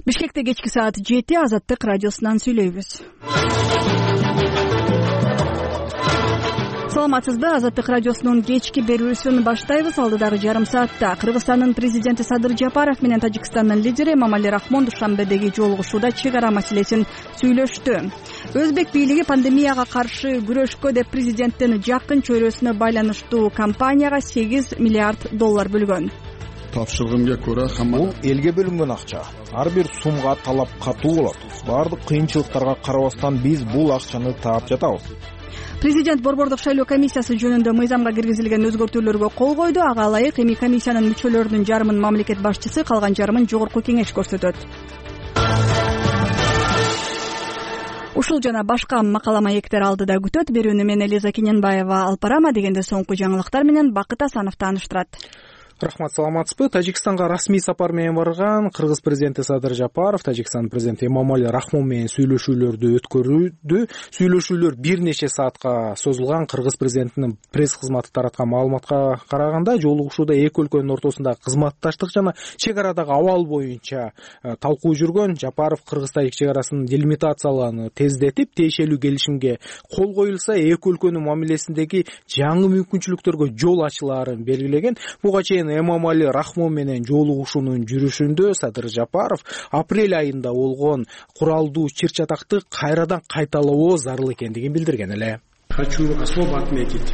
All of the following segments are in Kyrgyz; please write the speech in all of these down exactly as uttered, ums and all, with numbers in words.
Бишкекте кечки саат жети Азаттык радиосунан сүйлөйбүз. Саламатсызбы? Азаттык радиосунун кечки берүүсүн баштайбыз. Алдыдагы жарым саатта Кыргызстандын президенти Садыр Жапаров менен Тажикстандын лидери Эмомали Рахмон Душанбедеги жолугушууда чек ара маселесин сүйлөштү. Өзбек бийлиги пандемияга каршы күрөшкө деп президенттин жакын чөйрөсүнө байланыштуу компанияга сегиз миллиард доллар бөлгөн. Тапшыргымга көрө бул элге бөлүнгөн акча. Ар бир сумга талап катуу болот. Баардык кыйынчылыктарга карабастан биз бул акчаны таап жатабыз. Президент борбордук шайлоо комиссиясы жөнүндө мыйзамга киргизилген өзгөртүүлөргө кол койду. Ага ылайык эми комиссиянын мүчөлөрүнүн жарымын мамлекет башчысы, калган жарымын жогорку кеңеш көрсөтөт. Ушул жана башка макала маектер алдыда күтөт. Берүүнү мен Элиза Кененбаева алып барам. Дегенде соңку жаңылыктар менен Бакыт Асанов тааныштырат. Рахмат, саламатсызбы? Тажикстанга расмий сапар менен барган Кыргыз президенти Садыр Жапаров Тажикстан президенти Эмомали Рахмон менен сүйлөшүүлөрдү өткөрүүдө. Сүйлөшүүлөр бир нече саатка созулган. Кыргыз президентинин пресс кызматы тараткан маалыматка караганда, жолугушууда эки өлкөнүн ортосунда кызматташтык жана чек арадагы абал боюнча талкуу жүргөн. Жапаров Кыргыз-Тажик чек арасын делимитациялоону тездетип, тиешелүү келишимге кол коюлса, эки өлкөнүн мамилесиндеги жаңы мүмкүнчүлүктөргө жол ачылаарын белгилеген. Буга чейин Эмомали Рахмон менен жолугушуунун жүрүшүндө Садыр Жапаров апрель айында болгон куралдуу чыр-чатакты кайрадан кайталоо зарыл экендигин билдирген эле. Хочу особо отметить,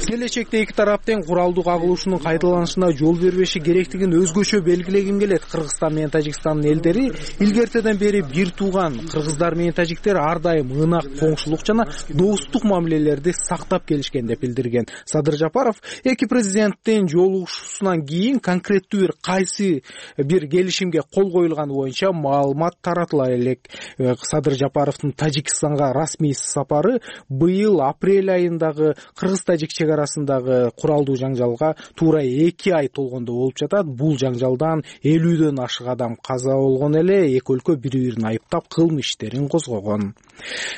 келечекте эки тарап тең куралдуу кагылышуунун кайталанышына жол бербеши керектигин өзгөчө белгилегим келет. Кыргызстан менен Тажикстандын элдери илгертеден бери бир тууган. Кыргыздар менен тажиктер ар дайым ынак коңшулук жана достук мамилелерди сактап келишкен деп билдирген Садыр Жапаров. Эки президенттин жолугушуусунан кийин конкреттүү бир кайсы бир келишимге кол коюлганы боюнча маалымат таратыла элек. Садыр Жапаровдун Тажикстанга расмий сапары быйыл апрель айындагы Кыргыз Тажик чек арасындагы куралдуу жаңжалга туура эки ай толгондо болуп жатат. Бул жаңжалдан элүүдөн ашык адам каза болгон эле. Эки өлкө бири-бирин айыптап кылмыш иштерин козгогон.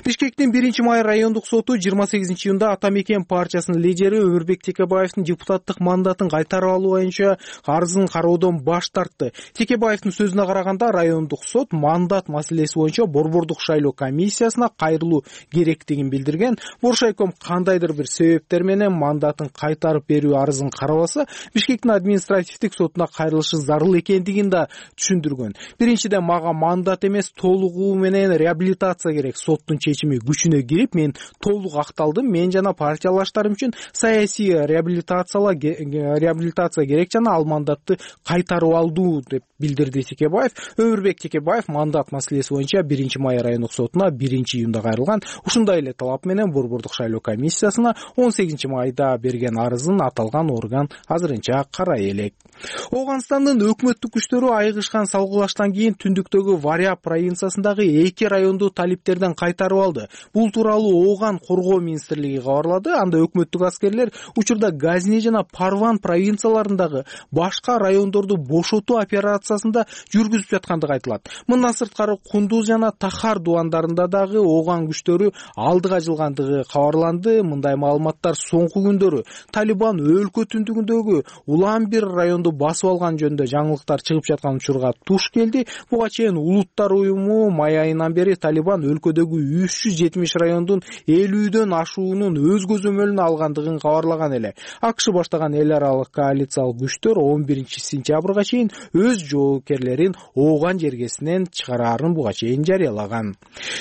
Бишкектин биринчи май райондук соту жыйырма сегизинчи июнда Ата Мекен партиясынын лидери Өмүрбек Текебаевдин депутаттык мандатын кайтарып алуу боюнча арызын кароодон баш тартты. Текебаевдин сөзүнө караганда, райондук сот мандат маселеси боюнча борбордук шайлоо комиссиясына кайрылуу керектигин билдирген. Боршайком кандайдыр бир себептер менен мандатын кайтарып берүү арызын карабаса, Бишкектин административдик сотуна кайрылышы зарыл экендигин да түшүндүргөн. Биринчиден, мага мандат эмес, толугу менен реабилитация керек. Соттун чечими күчүнө кирип, мен толук акталдым. Мен жана партиялаштарым үчүн саясий реабилитациялаа реабилитация керек жана ал мандатты кайтарып алдуу деп билдирди Текебаев. Өмүрбек Текебаев мандат маселеси боюнча биринчи май райондук сотуна биринчи июнда кайрылган. Ушундай эле талап менен борбордук шайлоо комиссиясына он сегизинчи майда берген арызын аталган орган азырынча карай элек. Ооганстандын өкмөттүк күчтөрү айыгышкан салгылаштан кийин түндүктөгү Варя провинциясындагы эки районду талиптерден кайтарып алды. Бул тууралуу Ооган коргоо министрлиги кабарлады. Анда өкмөттүк аскерлер учурда Газни жана Парван провинцияларындагы башка райондорду бошотуу операциясында жүргүзүп жаткандыгы айтылат. Мындан сырткары Кундуз жана Тахар дуандарында дагы Ооган күчтөрү алдыга жылгандыгы кабарланды. Мындай маалыматтар соңку күндөрү Талибан өлкө түндүгүндөгү Улан-бир районду басып алган жөнүндө жаңылыктар чыгып жаткан учурга туш келди. Буга чейин Улуттар уюму май айынан бери Талибан өлкөдөгү үч жүз жетимиш райондун элүүдөн ашуунун өз көзөмөлүнө алгандыгын кабарлаган эле. АКШ баштаган эл аралык коалициялык күчтөр он биринчи сентябрга чейин өз жоопкерлерин Ооган жергесинен чыгараарын буга чейин жарыялаган.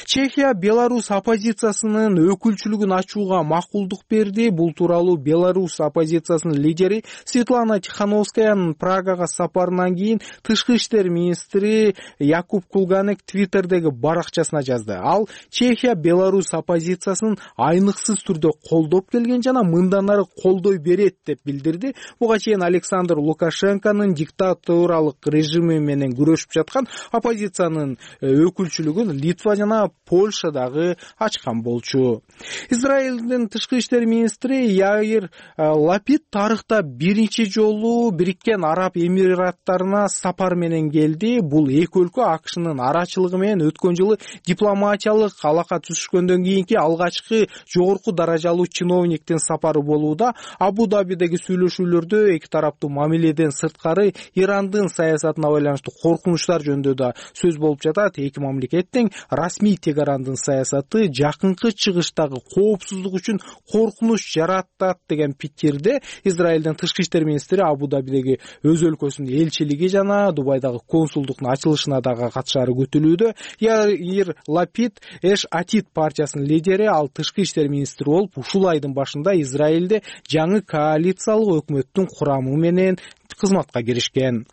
Чехия Беларусь оппозициясынын өкүлчүлүгүн ачууга макулдук берди. Бул тууралуу Беларусь оппозициясынын лидери Светлана Тихановскаянын Прагага сапарынан кийин тышкы иштер министри Якуб Кулганек Твиттердеги баракчасына жазды. Ал Чехия Беларусь оппозициясынын айныксыз түрдө колдоп келген жана мындан ары колдой берет деп билдирди. Буга чейин Александр Лукашенконун диктатуралык режими менен күрөшүп жаткан оппозициянын өкүлчүлүгүн Литва жана Польша дагы ачкан болчу. Израилдин тышкы иштер министри министри Яир Лапид тарыхта биринчи жолу Бириккен Араб Эмираттарына сапар менен келди. Бул эки өлкө АКШнын арачылыгы менен өткөн жылы дипломатиялык алака түзүшкөндөн кийинки алгачкы жогорку даражалуу чиновниктин сапары болууда. Абу-Дабидеги сүйлөшүүлөрдө эки тараптуу мамиледен сырткары Ирандын саясатына байланыштуу коркунучтар жөнүндө да сөз болуп жатат. Эки мамлекеттин расмий Тегарандын саясаты жакынкы чыгыштагы коопсуздук үчүн коркунуч жаратат деген пикирде Израилдин тышкы иштер министри Абу-Дабидеги өз өлкөсүнүн элчилиги жана Дубайдагы консулдуктун ачылышына дагы катышары күтүлүүдө. Яир Лапид Эш Атид партиясынын лидери, ал тышкы иштер министри болуп, ушул айдын башында Израилде жаңы коалициялык өкмөттүн курамы менен кызматка киришкен.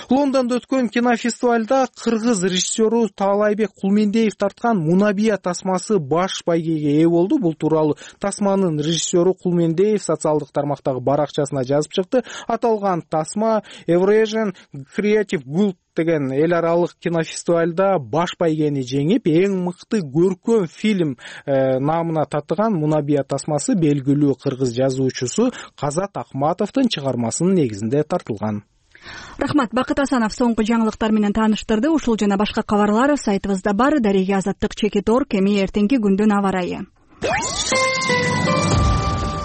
Лондондо өткөн кинофестивалда кыргыз режиссеру Таалайбек Кулмендеев тарткан Мунабия тасмасы баш байгеге ээ болду. Бул тууралуу тасманын режиссеру Кулмендеев социалдык тармактагы баракчасына жазып чыкты. Аталган тасма Eurasian Creative Guild деген эл аралык кинофестивалда баш байгени жеңип, эң мыкты көркөм фильм э, намына татыган Мунабия тасмасы белгилүү кыргыз жазуучусу Казат Акматовдун чыгармасынын негизинде тартылган. Рахмат. Бакыт Асанов соңку жаңылыктар менен тааныштырды. Ушул жана башка кабарлар сайтыбызда бар. Дарега Азаттык чекит орг. Эми эртеңки күндүн аба ырайы.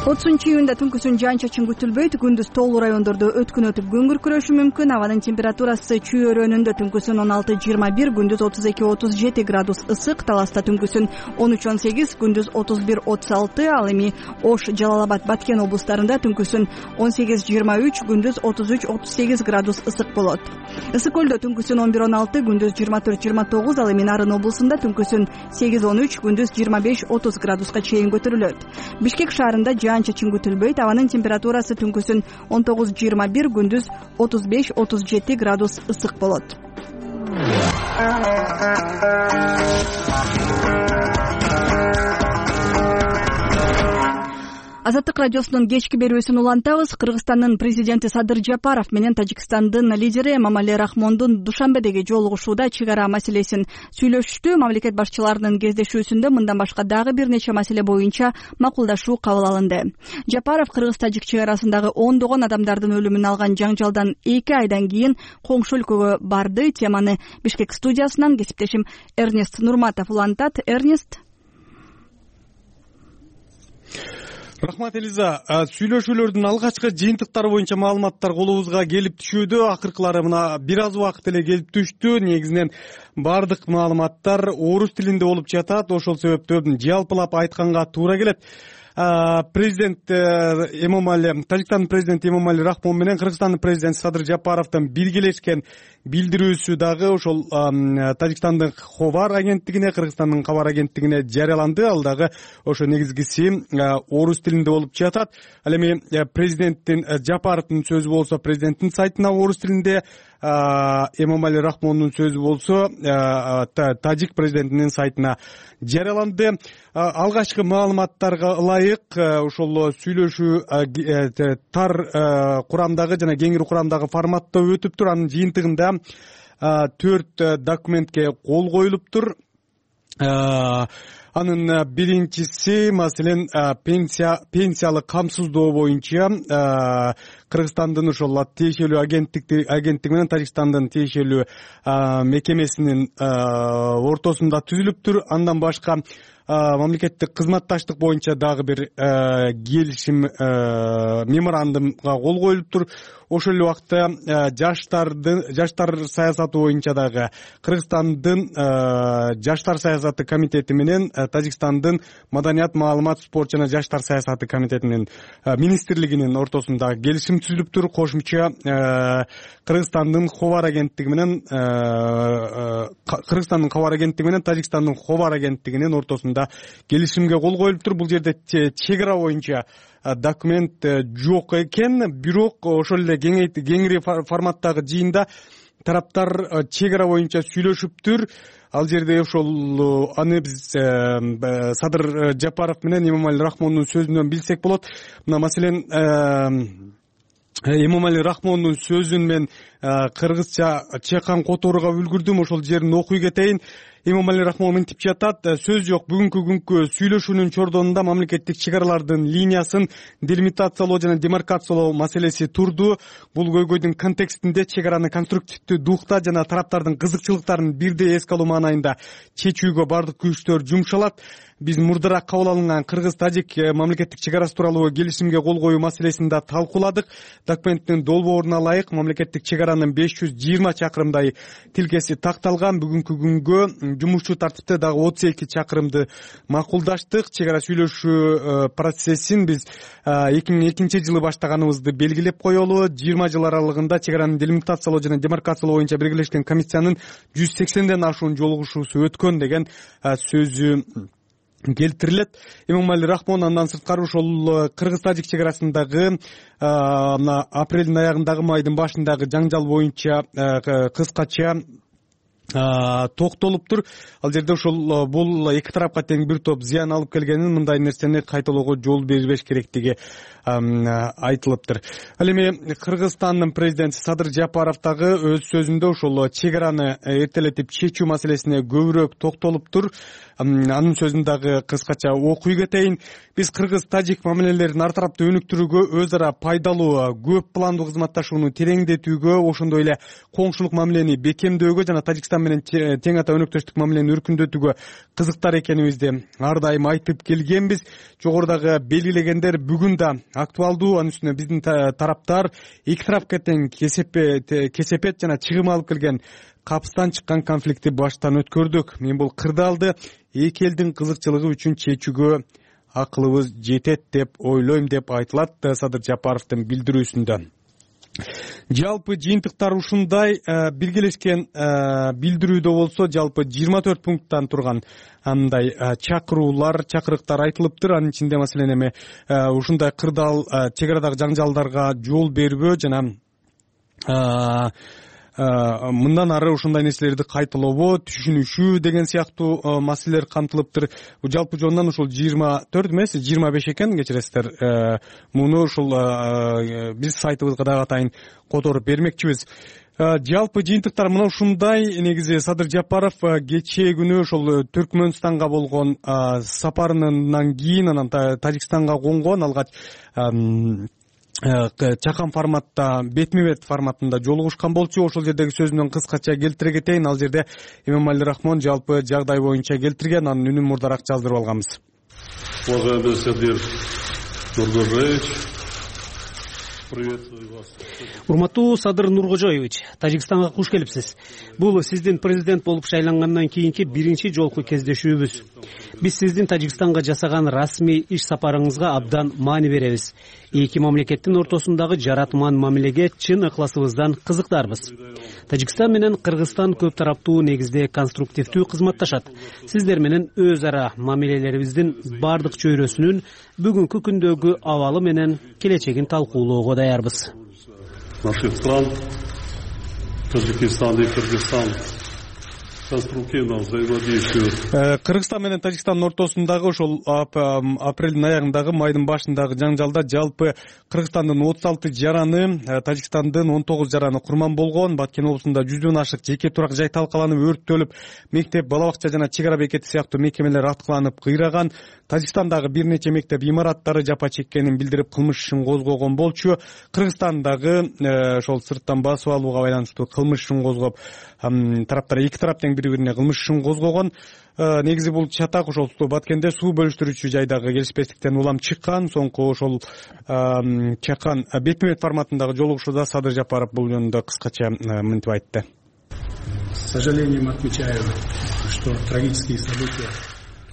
отузунчу июнда түнкүсүн жаан-чачын күтүлбөйт. Күндүз тоолуу райондордо өткүн өтүп көңүр күрөшү мүмкүн. Абанын температурасы чүй-өрөөнүндө түнкүсүн он алты жыйырма бир, күндүз отуз эки отуз жети градус ысык. Таласта түнкүсүн он үч он сегиз, күндүз отуз бир отуз алты. Ал эми Ош, Жалал Абад, Баткен облустарында түнкүсүн он сегиз жыйырма үч, күндүз отуз үч отуз сегиз градус ысык болот. Ысык көлдө түнкүсүн он бир он алты, күндүз жыйырма төрт жыйырма тогуз. Ал эми Нарын облусунда түнкүсүн сегиз он үч, күндүз жыйырма беш отуз градуска чейин көтөрүлөт. Бишкек шаарында жаан-чачын күтүлбөйт. Абанын температурасы түнкүсүн он тогуз жыйырма бир, күндүз отуз беш отуз жети градус ысык болот. Азаттык радиосунун кечки берүүсүн улантабыз. Кыргызстандын президенти Садыр Жапаров менен Тажикстандын лидери Эмомали Рахмондун Душанбедеги жолугушууда чек ара маселесин сүйлөшүштү. Мамлекет башчыларынын кездешүүсүндө мындан башка дагы бир нече маселе боюнча макулдашуу кабыл алынды. Жапаров Кыргыз-Тажик чек арасындагы ондогон адамдардын өлүмүн алган жаңжалдан эки айдан кийин коңшу өлкөгө барды. Теманы Бишкек студиясынан кесиптешим Эрнест Нурматов улантат. Эрнест. Рахмат, Элиза. Сүйлөшүүлөрдүн алгачкы жыйынтыктары боюнча маалыматтар колубузга келип түшүүдө. Акыркылары мына бир аз убакыт эле келип түштү. Негизинен бардык маалыматтар орус тилинде болуп жатат. Ошол себептен жалпылап айтканга туура келет. Президент Эмомали, Тажикстандын президенти Эмомали Рахмон менен Кыргызстандын президенти Садыр Жапаровдун биргелешкен билдирүүсү дагы ошол Тажикстандын Хабар агенттигине, Кыргызстандын Кабар агенттигине жарыяланды. Ал дагы ошо негизгиси орус тилинде болуп жатат. Ал эми президенттин Жапаровдун сөзү болсо президенттин сайтына орус тилинде, Эмомали Рахмондун сөзү болсо Тажик президентинин сайтына жарыяланды. Алгачкы маалыматтарга ылайык ошол сүйлөшүү тар курамдагы жана кеңири курамдагы форматта өтүптүр. Анын жыйынтыгында төрт документке кол коюлуптур. Анын биринчиси маселен пенсия пенсиялык камсыздоо боюнча Кыргызстандын ошол тиешелүү агенттик агенттиги менен Тажикстандын тиешелүү мекемесинин ортосунда түзүлүптүр. Андан башка мамлекеттик кызматташтык боюнча дагы бир келишим меморандумга кол коюлуптур. Ошол эле убакта жаштардын жаштар саясаты боюнча дагы Кыргызстандын жаштар саясаты комитети менен Тажикстандын маданият, маалымат, спорт жана жаштар саясаты комитетинин министрлигинин ортосунда келишим түзүлүптүр. Кошумча Кыргызстандын Хабар агенттиги менен Кыргызстандын Хабар агенттиги менен Тажикстандын Хабар агенттигинин ортосунда келишимге кол коюлуптур. Бул жерде чек ара боюнча документ жок экен, бирок ошол эле кеңири форматтагы жыйында тараптар чек ара боюнча сүйлөшүптүр. Ал жерде ошол аны биз Садыр Жапаров менен Эмомали Рахмондун сөзүнөн билсек болот. Мына маселен Эмомали Рахмондун сөзүн мен кыргызча чекан которууга үлгүрдүм, ошол жерин окуй кетейин. Эмомали Рахмон мынтип жатат: сөз жок, бүгүнкү күnkү сүйлөшүүнүн чордонунда мамлекеттик чек аралардын линиясын делимитациялоо жана демаркациялоо маселеси турду. Бул көйгөйдүн контекстинде чек араны конструктивдүү духта жана тараптардын кызыкчылыктарын бирдей эске алуу маанайында чечүүгө бардык күчтөр жумшалат. Биз мурдараак кабыл алынган кыргыз-тажик мамлекеттик чек арасы тууралуу келишимге кол коюу маселесин да талкууладык. Документтин долбооруна ылайык мамлекеттик чек аранын беш жүз жыйырма чакырымдай тилкеси такталган. Бүгүнкү күнгө жумушчу тартипте дагы отуз эки чакырымды макулдаштык. Чек ара сүйлөшүү процессин биз эки миң экинчи жылы баштаганыбызды белгилеп коелу. жыйырма жыл аралыгында чек араны делимитациялоо жана демаркациялоо боюнча биргелешкен комиссиянын жүз сексенден ашуун жолугушуусу өткөн деген сөзү келтирилет. Эмомали Рахмон андан сырткары ошол кыргыз-тажик чек арасындагы мына апрелдин аягындагы майдын башындагы жаңжал боюнча кыскача токтолуптур. Ал жерде ошол бул эки тарапка тең бир топ зыян алып келгенин, мындай нерсени кайталоого жол бербеш керектиги айтылыптыр. Ал эми Кыргызстандын президенти Садыр Жапаров дагы өз сөзүндө ошол чек араны эртелетип чечүү маселесине көбүрөөк токтолуптур. Анын сөзүн дагы кыскача окуй кетейин. Биз кыргыз-тажик мамилелерин ар тараптуу өнүктүрүүгө, өз ара пайдалуу көп пландуу кызматташууну тереңдетүүгө, ошондой эле коңшулук мамилени бекемдөөгө жана Тажикстан менен тең ата өнөктөштүк мамилени өркүндөтүүгө кызыктар экенибизди ар дайым айтып келгенбиз. Жогорудагы белгилегендер бүгүн да актуалдуу. Анын үстүнө биздин тараптар эки тарапка тең кесепет жана чыгым алып келген капыстан чыккан конфликтти баштан өткөрдүк. Мен бул кырдаалды эки элдин кызыкчылыгы үчүн чечүүгө акылыбыз жетет деп ойлойм деп айтылат Садыр Жапаровдун билдирүүсүндө. Жалпы жыйынтыктар ушундай. Биргелешкен билдирүүдө болсо жалпы жыйырма төрт пункттан турган андай чакыруулар, чакырыктар айтылыптыр. Анын ичинде маселен эми ушундай кырдаал чек арадагы жаңжалдарга жол бербөө жана мындан ары ушундай нерселерди кайталообо түшүнүшүү деген сыяктуу маселелер камтылыптыр. Жалпы жонунан ушул жыйырма төрт эмес, жыйырма беш экен, кечиресиздер. Муну ушул биз сайтыбызга дагы атайын которуп бермекчибиз. Жалпы жыйынтыктар мына ушундай. Негизи Садыр Жапаров кечээ күнү ошол Түркмөнстанга болгон сапарынан кийин анан Тажикстанга конгон, алгач чакан форматта, бетме бет форматында жолугушкан болчу. Ошол жердеги сөзүнөн кыскача келтире кетейин. Ал жерде Эмомали Рахмон жалпы жагдай боюнча келтирген, анын үнүн мурдараак жаздырып алганбыз. Уважаемый Садыр Нуркожоевич, приветствую вас. Урматтуу Садыр Нуркожоевич, Тажикстанга куш келипсиз. Бул сиздин президент болуп шайлангандан кийинки биринчи жолку кездешүүбүз. Биз сиздин Тажикстанга жасаган расмий иш сапарыңызга абдан маани беребиз. Эки мамлекеттин ортосундагы жаратман мамилеге чын ыкласыбыздан кызыктарбыз. Тажикстан менен Кыргызстан көп тараптуу негизде конструктивдүү кызматташат. Сиздер менен өз ара мамилелерибиздин бардык чөйрөсүнүн бүгүнкү күндөгү абалы менен келечегин талкуулоого даярбыз. Наших стран, Таджикистан и Кыргызстан, конструктивно взаимодействуют. Кыргызстан менен Тажикстандын ортосундагы ошол апрелдин аягындагы майдын башындагы жаңжалда жалпы Кыргызстандын отуз алты жараны, Тажикстандын он тогуз жараны курман болгон. Баткен облусунда жүздөн ашык жеке турак жай талкаланып, өрттөлүп, мектеп, бала бакча жана чек ара бекети сыяктуу мекемелер аткыланып кыйраган. Тажикстандагы бир нече мектеп имараттары жапа чеккенин билдирип кылмыш ишин козгогон болчу. Кыргызстандагы ошол сырттан басып алууга байланыштуу кылмыш ишин козгоп, тараптар эки тарап тең бири-бирине кылмыш ишин козгогон. Негизи бул чатак ошол Баткенде суу бөлүштүрүүчү жайдагы келишпестиктен улам чыккан. Соңку ошол чакан бетме бет форматындагы жолугушууда Садыр Жапаров бул жөнүндө кыскача мынтип айтты. С сожалением отмечаю, что трагические события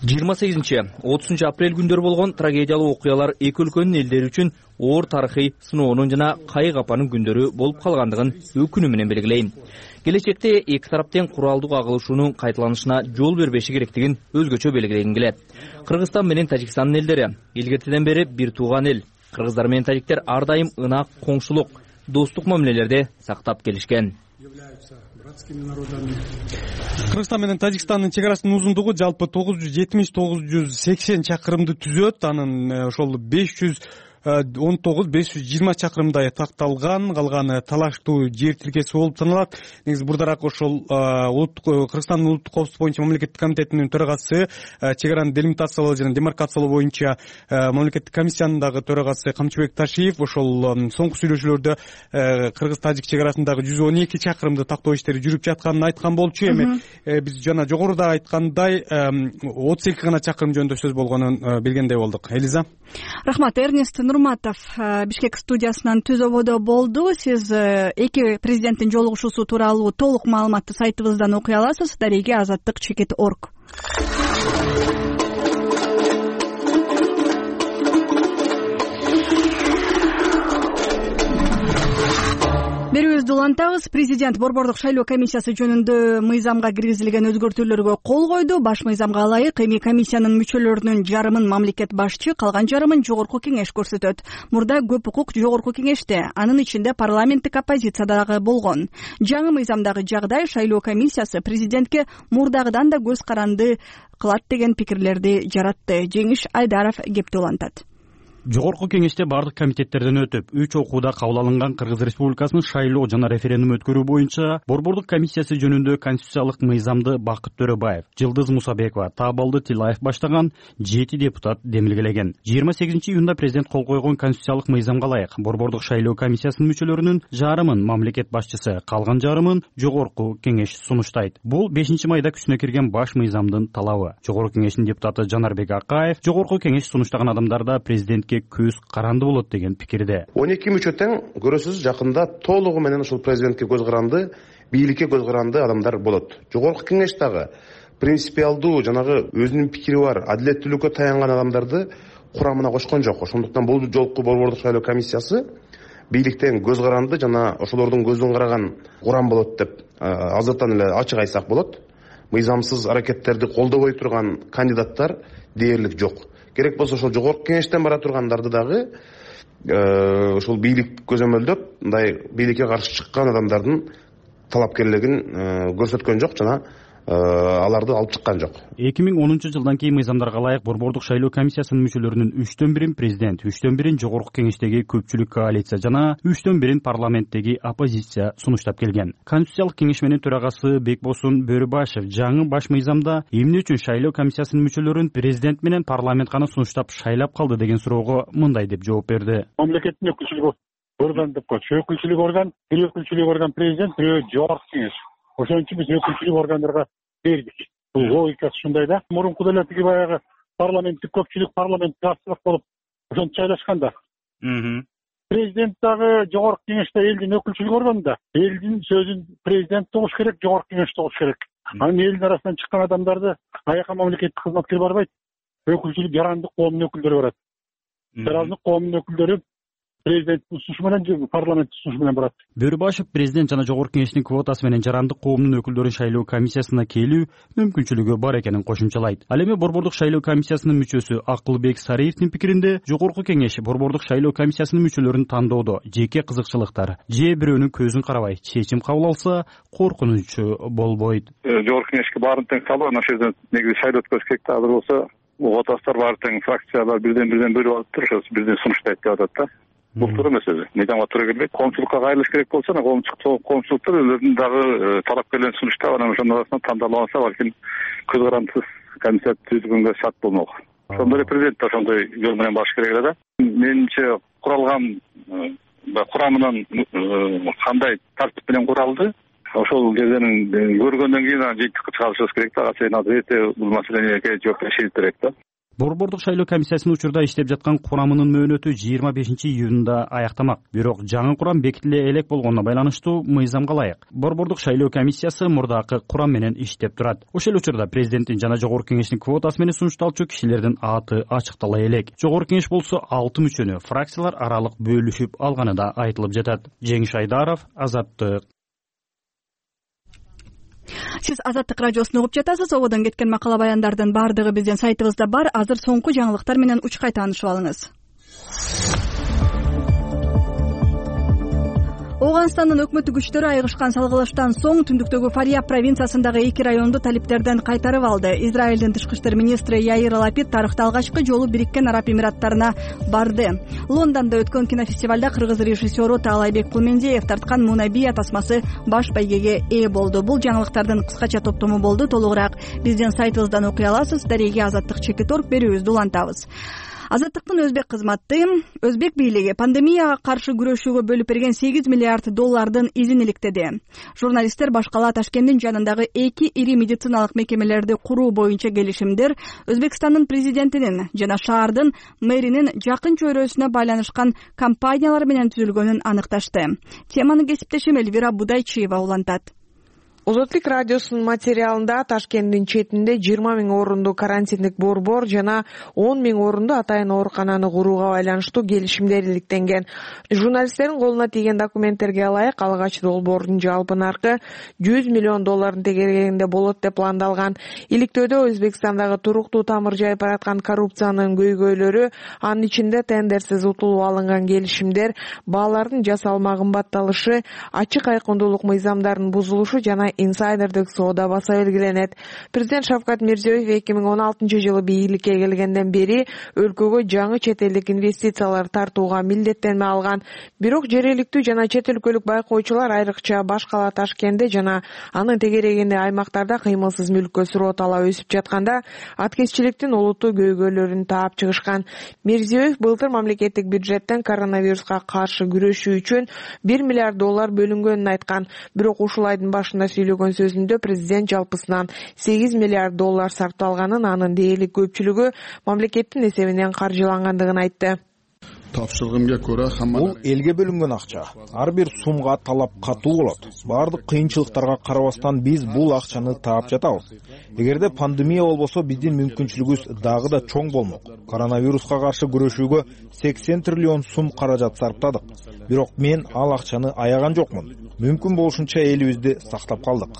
жыйырма сегизинчи отузунчу апрель күндөрү болгон трагедиялуу окуялар эки өлкөнүн элдери үчүн оор тарыхый сыноонун жана кайы капанын күндөрү болуп калгандыгын өкүнүү менен белгилейм. Келечекте эки тарап тең куралдуу кагылышуунун кайталанышына жол бербеши керектигин өзгөчө белгилегим келет. Кыргызстан менен Тажикстандын элдери илгертеден бери бир тууган эл. Кыргыздар менен тажиктер ар дайым ынак, коңшулук, достук мамилелерди сактап келишкен. Кыргызстан менен Тажикстандын чек арасынын узундугу жалпы тогуз жүз жетимиш — тогуз жүз сексен чакырымды түзөт. Анын ошол беш жүз он тогуз беш жүз жыйырма чакырымдай такталган, калганы талаштуу жер тилкеси болуп саналат. Негизи бурдараак ошол Кыргызстандын улуттук коопсуздук боюнча мамлекеттик комитетинин төрагасы, чек араны делимитациялоо жана демаркациялоо боюнча мамлекеттик комиссиянын дагы төрагасы Камчыбек Ташиев ошол соңку сүйлөшүүлөрдө кыргыз-тажик чек арасындагы жүз он эки чакырымды тактоо иштери жүрүп жатканын айткан болчу. Эми биз жана жогоруда айткандай отуз эки гана чакырым жөнүндө сөз болгонун билгендей болдук. Элиза. Рахмат. Эрнест Нурматов Бишкек студиясынан Түз ободо болду. Сиз эки президенттин жолугушуусу тууралуу толук маалыматты сайтыбыздан окуй аласыз. Дареге азаттык чекит орг. Берүүбүздү улантабыз. Президент Борбордук шайлоо комиссиясы жөнүндө мыйзамга киргизилген өзгөртүүлөргө кол койду. Баш мыйзамга ылайык эми комиссиянын мүчөлөрүнүн жарымын мамлекет башчы, калган жарымын жогорку кеңеш көрсөтөт. Мурда көп укук жогорку кеңеште, анын ичинде парламенттик оппозиция дагы болгон. Жаңы мыйзамдагы жагдай шайлоо комиссиясы президентке мурдагыдан да көз каранды кылат деген пикирлерди жаратты. Жеңиш Айдаров кепти улантат. Жогорку кеңеште бардык комитеттерден өтүп, үч окууда кабыл алынган Кыргыз Республикасынын шайлоо жана референдум өткөрүү боюнча Борбордук комиссиясы жөнүндө конституциялык мыйзамды Бакыт Төрөбаев, Жылдыз Мусабекова, Таабалды Тилаев баштаган жети депутат демилгелеген. жыйырма сегизинчи июнда президент кол койгон конституциялык мыйзамга ылайык Борбордук шайлоо комиссиясынын мүчөлөрүнүн жарымын мамлекет башчысы, калган жарымын жогорку кеңеш сунуштайт. Бул бешинчи майда күчүнө кирген баш мыйзамдын талабы. Жогорку кеңештин депутаты Жанарбек Акаев жогорку кеңеш сунуштаган адамдарда президент көз каранды болот деген пикирде. он эки мүчө тең көрөсүз, жакында толугу менен ушул президентке көз каранды, бийликке көз каранды адамдар болот. Жогорку кеңеш дагы принципиалдуу жанагы өзүнүн пикири бар, адилеттүүлүккө таянган адамдарды курамына кошкон жок. Ошондуктан бул жолку Борбордук шайлоо комиссиясы бийликтен көз каранды жана ошолордун көзүн караган курам болот деп азыртан эле ачык айтсак болот. Мыйзамсыз аракеттерди колдобой турган кандидаттар дээрлик жок. Керек болсо ошол жогорку кеңештен бара тургандарды дагы ошол бийлик көзөмөлдөп, мындай бийликке каршы чыккан адамдардын талапкерлигин көрсөткөн жок жана аларды алып чыккан жок. эки миң онунчу жылдан кийин мыйзамдарга ылайык Борбордук шайлоо комиссиясынын мүчөлөрүнүн үчтөн бирин президент, үчтөн бирин жогорку кеңештеги көпчүлүк коалиция жана үчтөн бирин парламенттеги оппозиция сунуштап келген. Конституциялык кеңеш менен төрагасы Бекбосун Бөрүбашев жаңы баш мыйзамда эмне үчүн шайлоо комиссиясынын мүчөлөрүн президент менен парламент гана сунуштап шайлап калды деген суроого мындай деп жооп берди. Мамлекеттин өкүлчүлүк орган деп коет. Өкүлчүлүк орган, бир өкүлчүлүк орган президент, бир жогорку кеңеш. Ошон үчүн биз өкүлчүлүк органдарга бердик. Бул логикасы ушундай да. Мурункуда эле тиги баягы парламенттик көпчүлүк, парламенттик азчылык болуп ошентип жайлашкан да. Президент дагы жогорку кеңеште элдин өкүлчүлүк органында. Элдин сөзүн президент угуш керек, жогорку кеңеш угуш керек. Анан элдин арасынан чыккан адамдарды аяка мамлекеттик кызматкер барбайт. Өкүлчүлүк жарандык коомдун өкүлдөрү барат. Жарандык коомдун өкүлдөрү президенттин сунушу менен, парламенттин сунушу менен барат. Бөрүбашев президент жана жогорку кеңештин квотасы менен жарандык коомдун өкүлдөрү шайлоо комиссиясына келүү мүмкүнчүлүгү бар экенин кошумчалайт. Ал эми Борбордук шайлоо комиссиясынын мүчөсү Акылбек Сариевдин пикиринде жогорку кеңеш Борбордук шайлоо комиссиясынын мүчөлөрүн тандоодо жеке кызыкчылыктар же бирөөнүн көзүн карабай чечим кабыл алса коркунучу болбойт. Жогорку кеңешке баарын тең салып, ошол жерден негизи шайлоо өткөрүш керек да. Азыр болсо отастар баары тең фракциялар бирден бирден бөлүп алып туруп, ошо бирден сунуштайт деп атат да. Бул туура эмес өзү. Мыйзамга туура келбейт. Коомчулукка кайрылыш керек болсо, коомчулуктар өзүлөрүнүн дагы талапкерлерин сунуштап, анан ошонун арасынан тандалып алса, балким көз карандысыз комиссия түзүлгөнгө шарт болмок. Ошондой эле президент да ошондой жол менен барыш керек эле да. Менимче куралган курамынан кандай тартип менен куралды, ошол жерден көргөндөн кийин анан жыйынтыкка чыгарышыбыз керек да. Сен азыр эрте бул маселеге жооп беришибиз керек да. Борбордук шайлоо комиссиясынын учурда иштеп жаткан курамынын мөөнөтү жыйырма бешинчи июнда аяктамак. Бирок жаңы курам бекитиле элек болгонуна байланыштуу мыйзамга ылайык Борбордук шайлоо комиссиясы мурдакы курам менен иштеп турат. Ошол учурда президенттин жана жогорку кеңештин квотасы менен сунушталчу кишилердин аты ачыктала элек. Жогорку кеңеш болсо алты мүчөнү фракциялар аралык бөлүшүп алганы да айтылып жатат. Жеңиш Айдаров, Азаттык. Сиз Азаттык радиосун угуп жатасыз. Ободон кеткен макала баяндардын баардыгы биздин сайтыбызда бар. Азыр соңку жаңылыктар менен учкай таанышып алыңыз. Ооганстандын өкмөттүк күчтөрү айыгышкан салгылаштан соң түндүктөгү Фарияб провинциясындагы эки районду талиптерден кайтарып алды. Израилдин тышкы иштер министри Яир Лапид тарыхта алгачкы жолу Бириккен Араб Эмираттарына барды. Лондондо өткөн кинофестивалда кыргыз режиссеру Таалайбек Кулмендиев тарткан Мунабия тасмасы баш байгеге ээ болду. Бул жаңылыктардын кыскача топтому болду. Толугураак биздин сайтыбыздан окуй аласыз. Дареге Азаттык чекит орг берүүбүздү улантабыз. Азаттыктын өзбек кызматы өзбек бийлиги пандемияга каршы күрөшүүгө бөлүп берген сегиз миллиард доллардын изин иликтеди. Журналисттер баш кала Ташкенттин жанындагы эки ири медициналык мекемелерди куруу боюнча келишимдер Өзбекстандын президентинин жана шаардын мэринин жакын чөйрөсүнө байланышкан компаниялар менен түзүлгөнүн аныкташты. Теманы кесиптешим Эльвира Будайчиева улантат. Озотлук радиосунун материалында Ташкенттин четинде жыйырма миң орунду карантиндик борбор жана он миң орунду атайын оорукананы курууга байланыштуу келишимдер иликтенген. Журналисттердин колуна тийген документтерге ылайык алгач долбоордун жалпы наркы жүз миллион доллардын тегерегинде болот деп пландалган. Иликтөөдө Өзбекстандагы туруктуу тамыр жайып бараткан коррупциянын көйгөйлөрү, анын ичинде тендерсиз утулуп алынган келишимдер, баалардын жасалма кымбатталышы, ачык айкындуулук мыйзамдарынын бузулушу жана инсайдердик соода баса белгиленет. Президент Шавкат Мирзиёев эки миң он алтынчы жылы бийликке келгенден бери өлкөгө жаңы чет элдик инвестициялар тартууга милдеттенме алган. Бирок жергиликтүү жана чет өлкөлүк байкоочулар айрыкча баш кала Ташкентте жана анын тегерегинде аймактарда кыймылсыз мүлккө суроо талап өсүп жатканда аткезчиликтин олуттуу көйгөйлөрүн таап чыгышкан. Мирзиёев былтыр мамлекеттик бюджеттен коронавируска каршы күрөшүү үчүн бир миллиард доллар бөлүнгөнүн айткан. Бирок ушул айдын башында сүйлөгөн сөзүндө президент жалпысынан сегиз миллиард доллар сарпталганын, анын дээрлик көпчүлүгү мамлекеттин эсебинен каржылангандыгын айтты. Бул элге бөлүнгөн акча. Ар бир сумга талап катуу болот. Бардык кыйынчылыктарга карабастан биз бул акчаны таап жатабыз. Эгерде пандемия болбосо биздин мүмкүнчүлүгүбүз дагы да чоң болмок. Коронавируска каршы күрөшүүгө сексен триллион сум каражат сарптадык. Бирок мен ал акчаны аяган жокмун. Мүмкүн болушунча элибизди сактап калдык,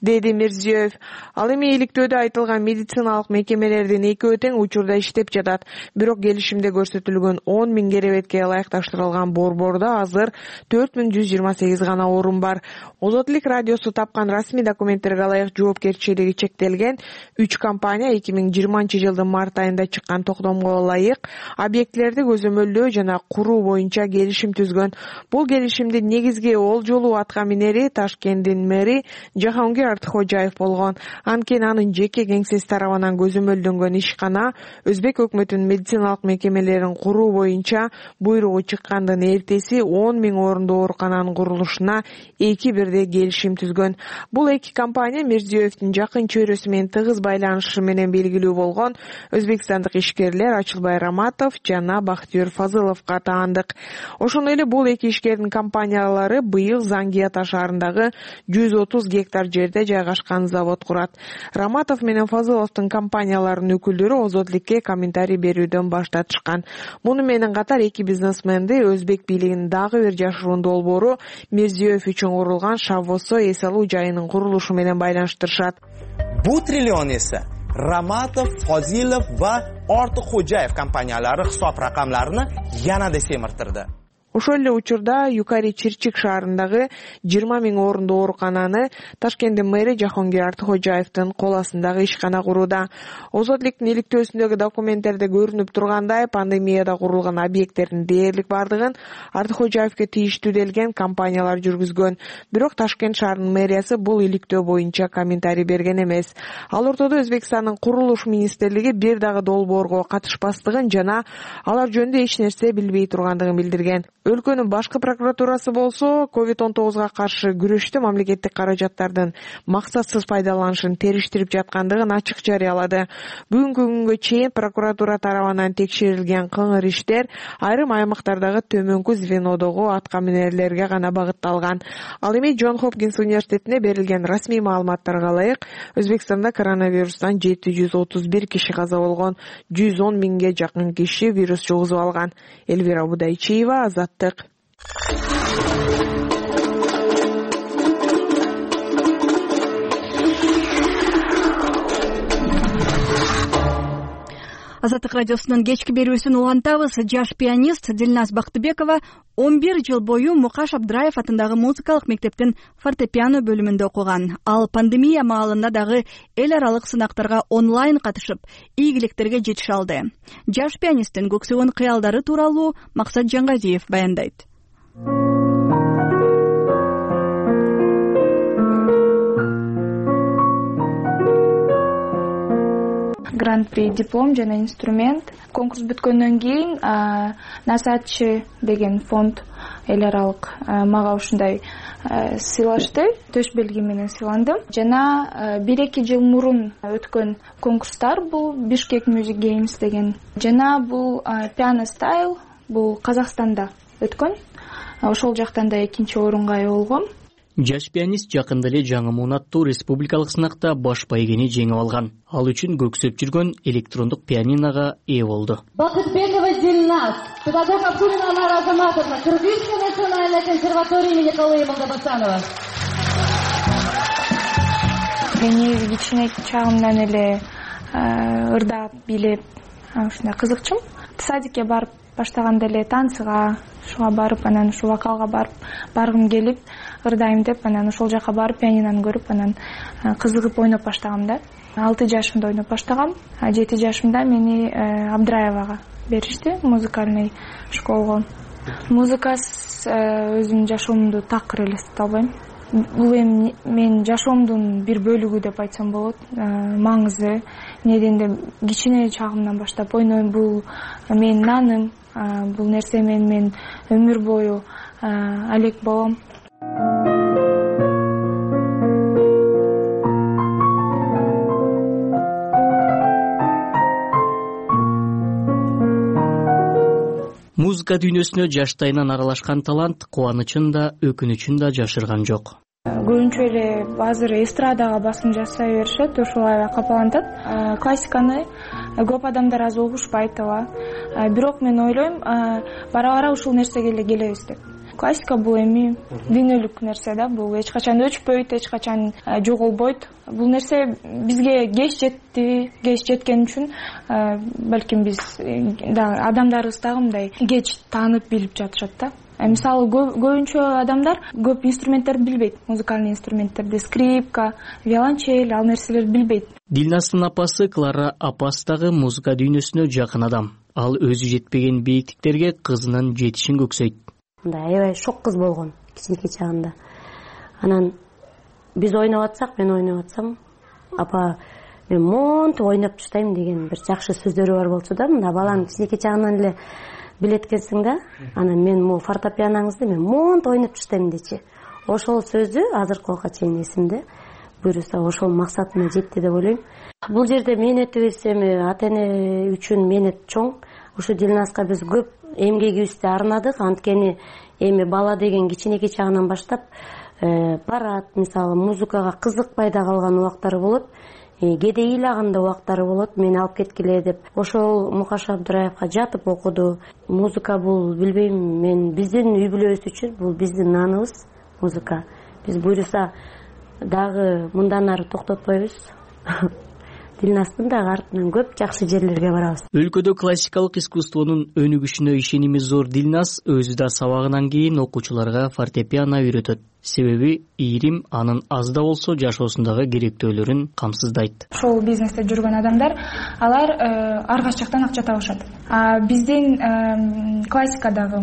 деди Мирзиёев. Ал эми иликтөөдө айтылган медициналык мекемелердин экөө тең учурда иштеп жатат. Бирок келишимде көрсөтүлгөн он миң керебетке ылайыкташтырылган борбордо азыр төрт миң жүз жыйырма сегиз гана орун бар. Озотлук радиосу тапкан расмий документтерге ылайык жоопкерчилиги чектелген үч компания эки миң жыйырманчы жылдын март айында чыккан токтомго ылайык объектилерди көзөмөлдөө жана куруу боюнча келишим түзгөн. Бул келишимдин негизги олжолуу атка минери Ташкенттин мэри Жахангир Артхожаев болгон. Анткени анын жеке кеңсеси тарабынан көзөмөлдөнгөн ишкана Өзбек өкмөтүнүн медициналык мекемелерин куруу боюнча буйругу чыккандын эртеси он миң орунду оорукананын курулушуна эки бирдей келишим түзгөн. Бул эки компания Мирзиёевдин жакын чөйрөсү менен тыгыз байланышы менен белгилүү болгон өзбекстандык ишкерлер Ачылбай Раматов жана Бактыёр Фазыловго таандык. Ошондой эле бул эки ишкердин компаниялары быйыл Зангия шаарындагы жүз отуз гектар жерде жайгашкан завод курат. Раматов менен Фазыловдун компанияларынын өкүлдөрү Озотлукке комментарий берүүдөн баш тартышкан. Муну менен катар эки бизнесменди өзбек бийлигинин дагы бир жашыруун долбоору Мирзиёев үчүн курулган Шаввосо эс алуу жайынын курулушу менен байланыштырышат. Бу триллион эсе Ramatov, Fozilov va Ortiqxo'jayev kompaniyalari hisob raqamlarini yanada semirtirdi. Ошол эле учурда Юкари Чирчик шаарындагы жыйырма миң орунду оорукананы Ташкенттин мэри Жахангир Артхожаевдин кол астындагы ишкана курууда. Озотлуктун иликтөөсүндөгү документтерде көрүнүп тургандай, пандемияда курулган объекттердин дээрлик бардыгын Артхожаевге тийиштүү делген компаниялар жүргүзгөн. Бирок Ташкент шаарынын мэриясы бул иликтөө боюнча комментарий берген эмес. Ал ортодо Өзбекстандын курулуш министрлиги бир дагы долбоорго катышпастыгын жана алар жөнүндө эч нерсе билбей тургандыгын билдирген. Өлкөнүн башкы прокуратурасы болсо ковид он тогузга каршы күрөштө мамлекеттик каражаттардын максатсыз пайдаланышын териштирип жаткандыгын ачык жарыялады. Бүгүнкү күнгө чейин прокуратура тарабынан текшерилген кыңыр иштер айрым аймактардагы төмөнкү звенодогу аткаминерлерге гана багытталган. Ал эми Джон Хопкинс университетине берилген расмий маалыматтарга ылайык Өзбекстанда коронавирустан жети жүз отуз бир киши каза болгон, жүз он миңге жакын киши вирус жугузуп алган. Эльвира Будайчиева, Азаттык. Азаттык радиосунун кечки берүүсүн улантабыз. Жаш пианист Дилназ Бактыбекова он бир жыл бою Мукаш Абдраев атындагы музыкалык мектептин фортепиано бөлүмүндө окуган. Ал пандемия маалында дагы эл аралык сынактарга онлайн катышып, ийгиликтерге жетише алды. Жаш пианисттин көксөгөн кыялдары тууралуу Максат Жангазиев баяндайт. Гран-при диплом жана инструмент. Конкурс бүткөндөн кийин Насатчы деген фонд эл аралык мага ушундай сыйлашты. Төш белги менен сыйландым. Жана бир эки жыл мурун өткөн конкурстар бул Бишкек Music Games деген. Жана бул Piano Style бул Казакстанда өткөн. Ошол жактан да экинчи орунга ээ болгом. Жаш пианист жакында эле жаңы муун аттуу республикалык сынакта баш байгени жеңип алган. Ал үчүн көксөп жүргөн электрондук пианиного ээ болду. Бакытбекова Дилназ, педагог Абдулина Анара Азаматовна, Кыргызская национальная консерватория имени Калыймова Габасанова. Мени кичине чагымдан эле ырдап, бийлеп, ушундай кызыкчумун. Садикке барып баштаганда эле танцыга, шуга барып, анан ушу вокалга барып, баргым келип, ырдайм деп, анан ошол жака барып, пианинону көрүп, анан кызыгып ойноп баштагам да. алты жашымда ойноп баштагам. жети жашымда мени Абдраевага беришти, музыкальный школго. Музыкасыз өзүмдүн жашоомду такыр элестете албайм. Бул эми менин жашоомдун бир бөлүгү деп айтсам болот. Маңызы, неден кичине чагымдан баштап ойнойм. Бул менин наным, бул нерсе менен мен өмүр бою алек болом. Музыка дүйнөсүнө жаштайынан аралашкан талант кубанычын да, өкүнүчүн да жашырган жок. Көбүнчө эле азыр эстрадага басым жасай беришет, ошолай капалантат. Классиканы көп адамдар азыр угушпайт ала. Бирок мен ойлойм, бара-бара ушул нерсеге эле келебиз деп. Классика бул эми дүйнөлүк нерсе да, бул эч качан өчпөйт, эч качан жоголбойт. Бул нерсе бизге кеч жетти, кеч жеткен үчүн балким биз адамдарыбыз дагы мындай кеч таанып билип жатышат да. Мисалы көбүнчө адамдар көп инструменттерди билбейт, музыкальный инструменттерди, скрипка, виолончель, ал нерселерди билбейт. Дилнастын апасы Клара апасы дагы музыка дүйнөсүнө жакын адам. Ал өзү жетпеген бийиктиктерге кызынын жетишин көксөйт. Мындай аябай шок кыз болгон кичинекей чагында. Анан биз ойноп атсак, мен ойноп атсам, апа мен монтип ойноп таштайм деген бир жакшы сөздөрү бар болчу да. Мында баланы кичинекей чагынан эле билеткенсиң да. Анан мен могу фортепианоңузду мен монтип ойноп таштайм дечи. Ошол сөзү азыркы убакка чейин эсимде. Буюрса ошол максатына жетти деп ойлойм. Бул жерде мээнетибиз эми ата эне үчүн мээнет чоң. Ушу Дилназга биз көп эмгегибизди арнадык. Анткени эми бала деген кичинекей чагынан баштап барат, мисалы музыкага кызыкпай да калган убактары болот. Кээде ыйлаганда убактары болот, мени алып кеткиле деп. Ошол Мукаш Абдраевга жатып окуду. Музыка бул билбейм, мен биздин үй бүлөбүз үчүн бул биздин наныбыз музыка. Биз буйруса дагы мындан ары токтотпойбуз. Дилнастын дагы артынан көп жакшы жерлерге барабыз. Өлкөдө классикалык искусствонун өнүгүшүнө ишеними зор Дилназ өзү да сабагынан кийин окуучуларга фортепиано үйрөтөт. Себеби ийрим анын аз да болсо жашоосундагы керектөөлөрүн камсыздайт. Шоу бизнесте жүргөн адамдар, алар ар кайсы жактан акча табышат. А биздин классикадагы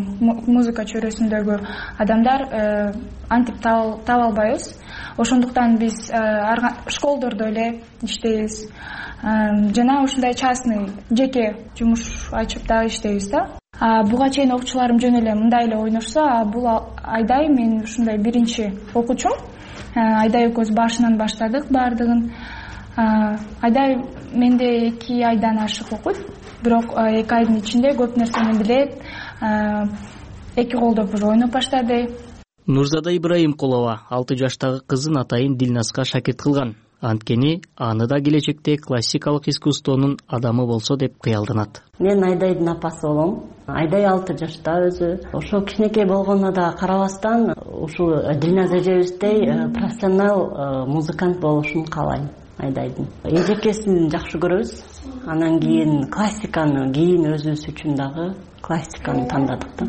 музыка чөйрөсүндөгү адамдар антип таба албайбыз. Ошондуктан биз школдордо эле иштейбиз. Жана ушундай частный жеке жумуш ачып дагы иштейбиз да. Буга чейин окуучуларым жөн эле мындай эле ойношсо, бул Айдай мен ушундай биринчи окуучум. Айдай экөөбүз башынан баштадык баардыгын. Айдай менде эки айдан ашык окуйт, бирок эки айдын ичинде көп нерсени билет. Эки колдоп уже ойноп баштады. Нурзада Ибраимкулова алты жаштагы кызын атайын Дилназга шакирт кылган. анткени аны да келечекте классикалык искусствонун адамы болсо деп кыялданат. Мен Айдайдын апасы болом. Айдай алты жашта өзү. Ошо кичинекей болгону да карабастан ушул Дилназ эжебиздей профессионал музыкант болушун каалайм. Айдайдын эжекесин жакшы көрөбүз. Анан кийин классиканы, кийин өзүбүз үчүн дагы классиканы тандадык да.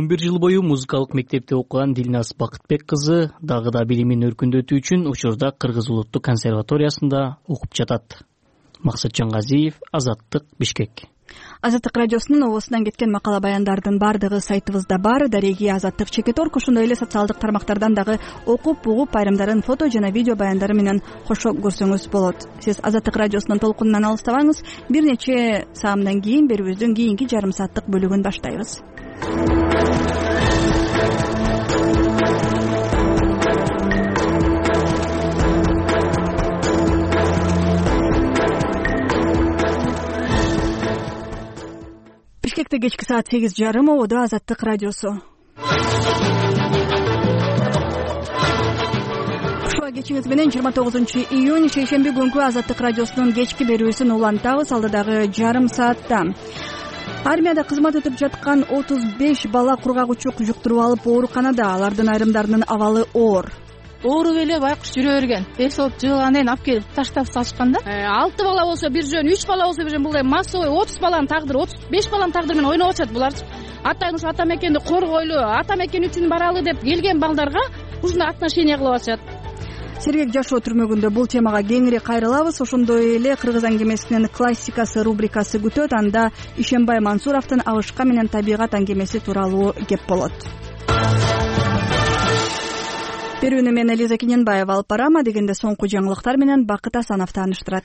он бир жыл бою музыкалык мектепте окуган Дилназ Бакытбек кызы дагы да билимин өркүндөтүү үчүн учурда Кыргыз улуттук консерваториясында окуп жатат. Максатжан Газиев, Азаттык, Бишкек. Азаттык радиосунун обосунан кеткен макала баяндардын баардыгы сайтыбызда бар. Дареги Азаттык чекит орг, ошондой эле социалдык тармактардан дагы окуп, угуп, айрымдарын фото жана видео баяндары менен кошо көрсөңүз болот. Сиз Азаттык радиосунун толкунунан алыстабаңыз. Бир нече саамдан кийин берүүбүздүн кийинки жарым сааттык бөлүгүн баштайбыз. Бишкекте кечки саат сегиз жарым, ободо Азаттык радиосу. Ушуга кечиңиз менен жыйырма тогузунчу июнь шейшемби күнкү Азаттык радиосунун кечки берүүсүн улантабыз. Алдыдагы жарым саатта армияда кызмат өтүп жаткан отуз беш бала кургагучук жуктуруп алып ооруканада. Алардын айрымдарынын абалы оор. Ооруп эле байкуш жүрө берген. Эс болуп жыгылгандан кийин алып келип таштап салышкан да. алты бала болсо бир жөн, үч бала болсо бир жөн, булдай массовый отуз баланын тагдыры, отуз беш баланын тагдыры менен ойноп атышат буларчы. Атайын ушу ата мекенди коргойлу, ата мекен үчүн баралы деп келген балдарга ушундай отношение кылып атышат. Сергек жашоо түрмөгүндө бул темага кеңири кайрылабыз. Ошондой эле Кыргыз аңгемесинин классикасы рубрикасы күтөт. Анда Ишенбай Мансуровдун Абышка менен табигат аңгемеси тууралуу кеп болот. Берүүнү мен Элиза Кененбаева алып барам. Дегенде соңку жаңылыктар менен Бакыт Асанов тааныштырат.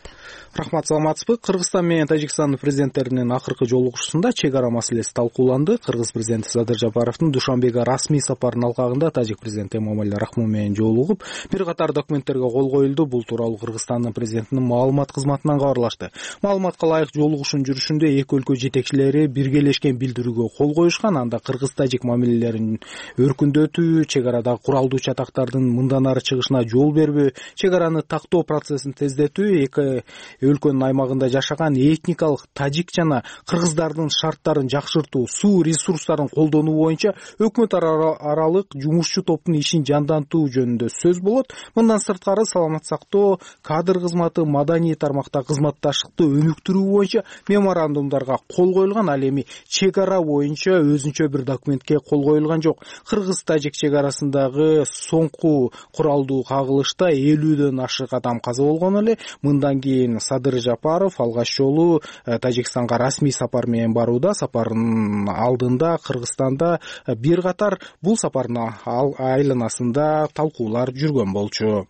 Рахмат, саламатсызбы? Кыргызстан менен Тажикстандын президенттеринин акыркы жолугушуусунда чек ара маселеси талкууланды. Кыргыз президенти Садыр Жапаровдун Душанбеге расмий сапарынын алкагында тажик президенти Эмомали Рахмон менен жолугуп, бир катар документтерге кол коюлду. Бул тууралуу Кыргызстандын президентинин маалымат кызматынан кабарлашты. Маалыматка ылайык жолугушуунун жүрүшүндө эки өлкө жетекчилери биргелешкен билдирүүгө кол коюшкан. Анда кыргыз-тажик мамилелерин өркүндөтүү, чек арадагы куралдуу чатактардын мындан ары чыгышына жол бербөө, чек араны тактоо процессин тездетүү, эки өлкөнүн аймагында жашаган этникалык тажик жана кыргыздардын шарттарын жакшыртуу, суу ресурстарын колдонуу боюнча өкмөт аралык жумушчу топтун ишин жандантуу жөнүндө сөз болот. Мындан сырткары саламат сактоо, кадр кызматы, маданий тармакта кызматташтыкты өнүктүрүү боюнча меморандумдарга кол коюлган. Ал эми чек ара боюнча өзүнчө бир документке кол коюлган жок. Кыргыз-тажик чек арасындагы соңку куралдуу кагылышта элүүдөн ашык адам каза болгон эле. Мындан кийин Садыр Жапаров алгач жолу Тажикстанга расмий сапар менен барууда. Сапардын алдында Кыргызстанда бир катар бул сапардын айланасында талкуулар жүргөн болчу.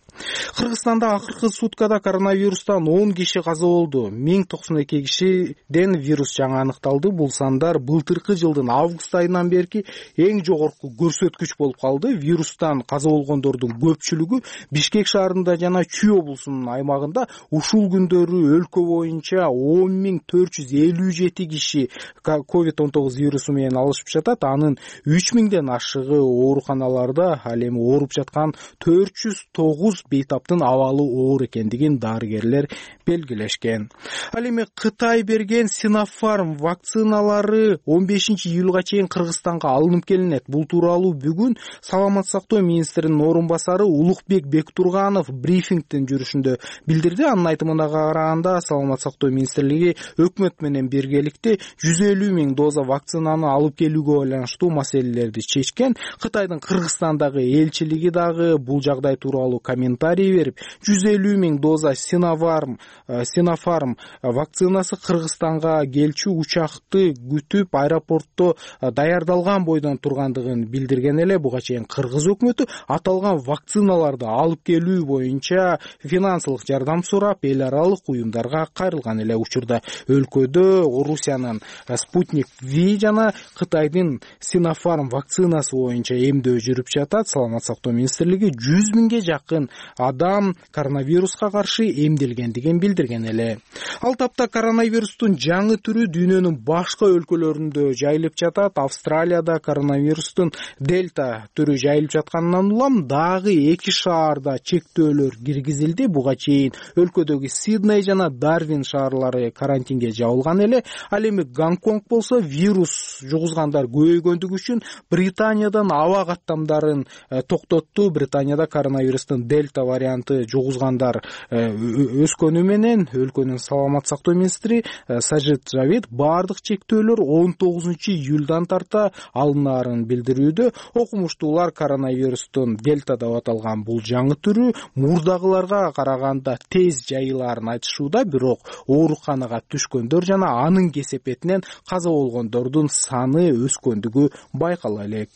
Кыргызстанда акыркы суткада коронавирустан он киши каза болду. миң токсон эки кишиден вирус жаңы аныкталды. Бул сандар былтыркы жылдын август айынан берки эң жогорку көрсөткүч болуп калды. Вирустан каза болгондордун көпчүлүгү Бишкек шаарында жана Чүй облусунун аймагында. Ушул күндөрү өлкө боюнча он миң төрт жүз элүү жети киши ковид он тогуз вирусу менен алышып жатат. Анын үч миңден ашыгы ооруканаларда. Ал эми ооруп жаткан төрт жүз тогуз бейтаптын абалы оор экендигин дарыгерлер белгилешкен. Ал эми Кытай берген Sinopharm вакциналары он бешинчи июлга чейин Кыргызстанга алынып келинет. Бул тууралуу бүгүн саламат сактоо министринин орун басары Улукбек Бектурганов брифингдин жүрүшүндө билдирди. Анын айтымына караганда саламат сактоо министрлиги өкмөт менен биргеликте жүз элүү миң доза вакцинаны алып келүүгө байланыштуу маселелерди чечкен. Кытайдын Кыргызстандагы элчилиги дагы бул жагдай тууралуу комментарий берип, жүз элүү миң доза Sinopharm Sinopharm вакцинасы Кыргызстанга келчү учакты күтүп аэропортто даярдалган бойдон тургандыгын билдирген эле. Буга чейин Кыргыз өкмөтү аталган жасалган вакциналарды алып келүү боюнча финансылык жардам сурап эл аралык уюмдарга кайрылган эле учурда өлкөдө Орусиянын Спутник V жана Кытайдын Sinopharm вакцинасы боюнча эмдөө жүрүп жатат. Саламат сактоо министрлиги жүз миңге жакын адам коронавируска каршы эмделгендигин билдирген эле. Ал тапта коронавирустун жаңы түрү дүйнөнүн башка өлкөлөрүндө жайылып жатат. Австралияда коронавирустун дельта түрү жайылып жатканынан улам дагы эки шаарда чектөөлөр киргизилди. Буга чейин өлкөдөгү Сидней жана Дарвин шаарлары карантинге жабылган эле. Ал эми Гонконг болсо вирус жугузгандар көбөйгөндүгү үчүн Британиядан аба каттамдарын токтотту. Британияда коронавирустун дельта варианты жугузгандар өскөнү менен өлкөнүн саламат сактоо министри Сажид Жавид баардык чектөөлөр он тогузунчу июлдан тарта алынаарын билдирүүдө. Окумуштуулар коронавирустун дельта деп аталган бул жаңы түрү мурдагыларга караганда тез жайылаарын айтышууда, бирок ооруканага түшкөндөр жана анын кесепетинен каза болгондордун саны өскөндүгү байкала элек.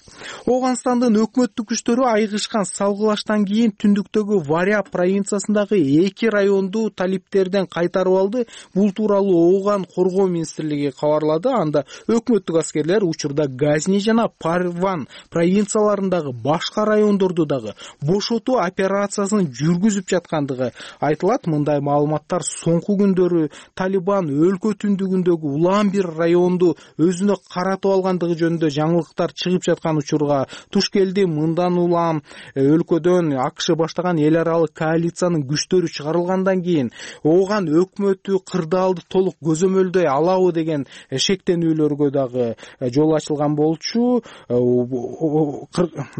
Ооганстандын өкмөттүк күчтөрү айыгышкан салгылаштан кийин түндүктөгү Вариаб провинциясындагы эки районду талиптерден кайтарып алды. Бул тууралуу Ооган коргоо министрлиги кабарлады. Анда өкмөттүк аскерлер учурда Газни жана Парван провинцияларындагы башка райондорду дагы бошотуу операциясын жүргүзүп жаткандыгы айтылат. Мындай маалыматтар соңку күндөрү Талибан өлкө түндүгүндөгү улам бир районду өзүнө каратып алгандыгы жөнүндө жаңылыктар чыгып жаткан учурга туш келди. Мындан улам өлкөдөн АКШ баштаган эл аралык коалициянын күчтөрү чыгарылгандан кийин Ооган өкмөтү кырдаалды толук көзөмөлдөй алабы деген шектенүүлөргө дагы жол ачылган болчу.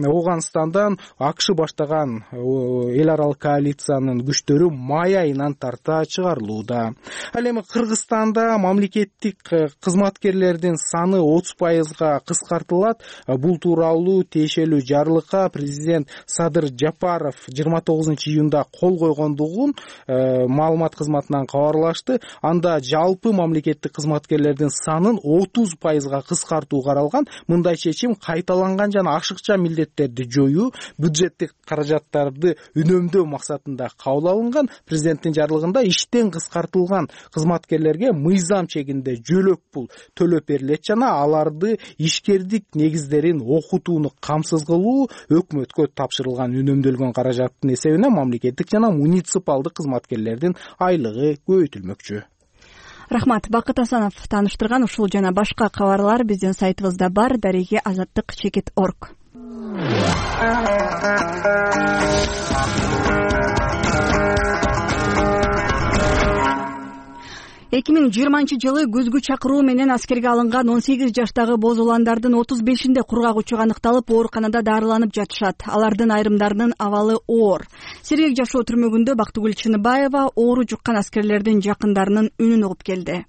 Ооганстандан АКШ баштаган эл аралык коалициянын күчтөрү май айынан тарта чыгарылууда. Ал эми Кыргызстанда мамлекеттик кызматкерлердин саны отуз пайызга кыскартылат. Бул тууралуу тиешелүү жарлыкка президент Садыр Жапаров жыйырма тогузунчу июнда кол койгондугун маалымат кызматынан кабарлашты. Анда жалпы мамлекеттик кызматкерлердин санын отуз пайызга кыскартуу каралган. Мындай чечим кайталанган жана ашыкча милдеттерди жоюу, бюджеттик каражаттарды үнөмдөө максатында кабыл алынган. Президенттин жарлыгында иштен кыскартылган кызматкерлерге мыйзам чегинде жөлөк пул төлөп берилет жана аларды ишкердик негиздерин окутууну камсыз кылуу өкмөткө тапшырылган үнөмдөлгөн каражаттын эсебинен мамлекеттик жана муниципалдык кызматкерлердин айлыгы көбөйтүлмөкчү. Рахмат. Бакыт Асанов тааныштырган ушул жана башка кабарлар биздин сайтыбызда бар. Дареги азаттык чекит точка орг. эки миң жыйырманчы жылы күзгү чакыруу менен аскерге алынган он сегиз жаштагы боз уландардын отуз бешинде кургак учук аныкталып, ооруканада дарыланып жатышат. Алардын айрымдарынын абалы оор. Сергек жашоо түрмөгүндө Бактыгүл Чыныбаева оору жуккан аскерлердин жакындарынын үнүн угуп келди.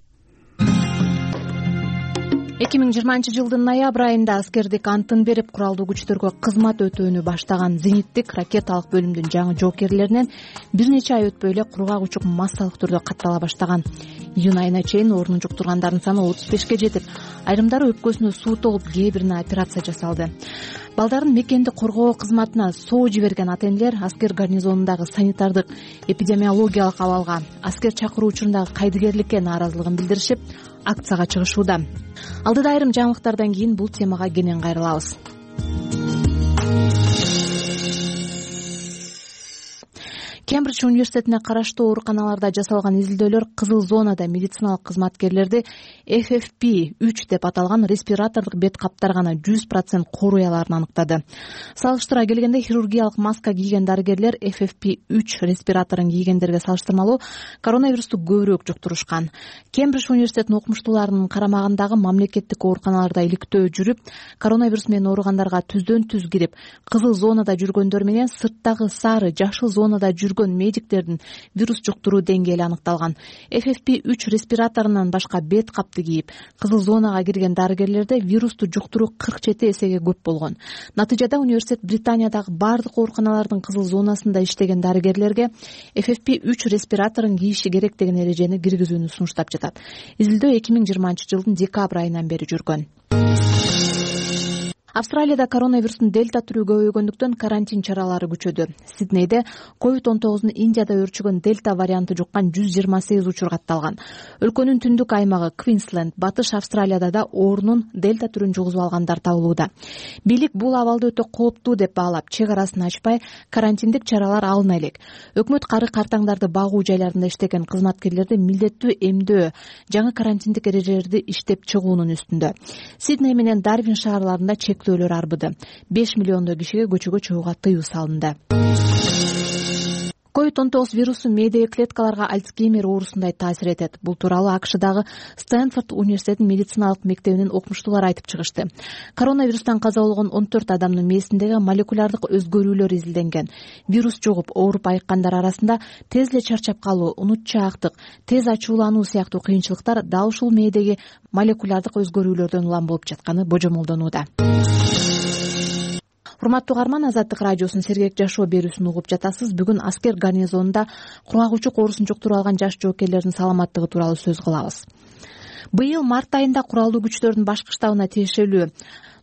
эки миң жыйырманчы жылдын ноябрь айында аскердик антын берип куралдуу күчтөргө кызмат өтөөнү баштаган зениттик ракеталык бөлүмдүн жаңы жоокерлеринен бир нече ай өтпөй эле кургак учук массалык түрдө каттала баштаган. Июнь айына чейин оорунун жуктургандардын саны отуз бешке жетип, айрымдары өпкөсүнө суу толуп, кээ бирине операция жасалды. Балдарын мекенди коргоо кызматына соо жиберген ата-энелер аскер гарнизонундагы санитардык эпидемиологиялык абалга, аскер чакыруу учурундагы кайдыгерликке нааразылыгын билдиришип, акцияга чыгышууда. Алдыда айрым жаңылыктардан кийин бул темага кенен кайрылабыз. Кембридж университетине караштуу ооруканаларда жасалган изилдөөлөр кызыл зонада медициналык кызматкерлерди эф эф пи үч деп аталган респиратордук бет каптар гана жүз процент коруй алаарын аныктады. Салыштыра келгенде хирургиялык маска кийген дарыгерлер эф эф пи үч респираторун кийгендерге салыштырмалуу коронавирусту көбүрөөк жуктурушкан. Кембридж университетинин окумуштууларынын карамагындагы мамлекеттик ооруканаларда иликтөө жүрүп, коронавирус менен ооругандарга түздөн түз кирип, кызыл зонада жүргөндөр менен сырттагы сары, жашыл зонада жүргөн медиктердин вирус жуктуруу деңгээли аныкталган. эф эф пи үч респираторунан башка бет капты кийип, кызыл зонага кирген дарыгерлерде вирусту жуктуруу кырк жети эсеге көп болгон. Натыйжада университет Британиядагы бардык ооруканалардын кызыл зонасында иштеген дарыгерлерге эф эф пи үч респираторун кийиши керек деген эрежени киргизүүнү сунуштап жатат. Изилдөө эки миң жыйырманчы жылдын декабрь айынан бери жүргөн. Австралияда коронавирустун дельта түрү көбөйгөндүктөн карантин чаралары күчөдү. Сиднейде ковид он тогузун Индияда өрчүгөн дельта варианты жуккан жүз жыйырма сегиз учур катталган. Өлкөнүн түндүк аймагы Квинсленд, батыш Австралияда да оорунун дельта түрүн жугузуп алгандар табылууда. Бийлик бул абалды өтө кооптуу деп баалап, чек арасын ачпай карантиндик чаралар алына элек. Өкмөт кары картаңдарды багуу жайларында иштеген кызматкерлерди милдеттүү эмдөө, жаңы карантиндик эрежелерди иштеп чыгуунун үстүндө. Сидней менен Дарвин шаарларында чектөөлөр арбыды. беш миллиондой кишиге көчөгө чыгууга тыюу салынды. ковид он тогуз вирусу мээдеги клеткаларга Альцгеймер оорусундай таасир этет. Бул тууралуу АКШдагы Стэнфорд университетинин медициналык мектебинин окумуштуулары айтып чыгышты. Коронавирустан каза болгон он төрт адамдын мээсиндеги молекулярдык өзгөрүүлөр изилденген. Вирус жугуп ооруп айыккандар арасында тез эле чарчап калуу, унутчаактык, тез ачуулануу сыяктуу кыйынчылыктар дал ушул мээдеги молекулярдык өзгөрүүлөрдөн улам болуп жатканы божомолдонууда. Урматтуу угарман, Азаттык радиосунун сергек жашоо берүүсүн угуп жатасыз. Бүгүн аскер гарнизонунда кургагучук оорусун жуктуруп алган жаш жоокерлердин саламаттыгы тууралуу сөз кылабыз. Быйыл март айында куралдуу күчтөрдүн башкы штабына тиешелүү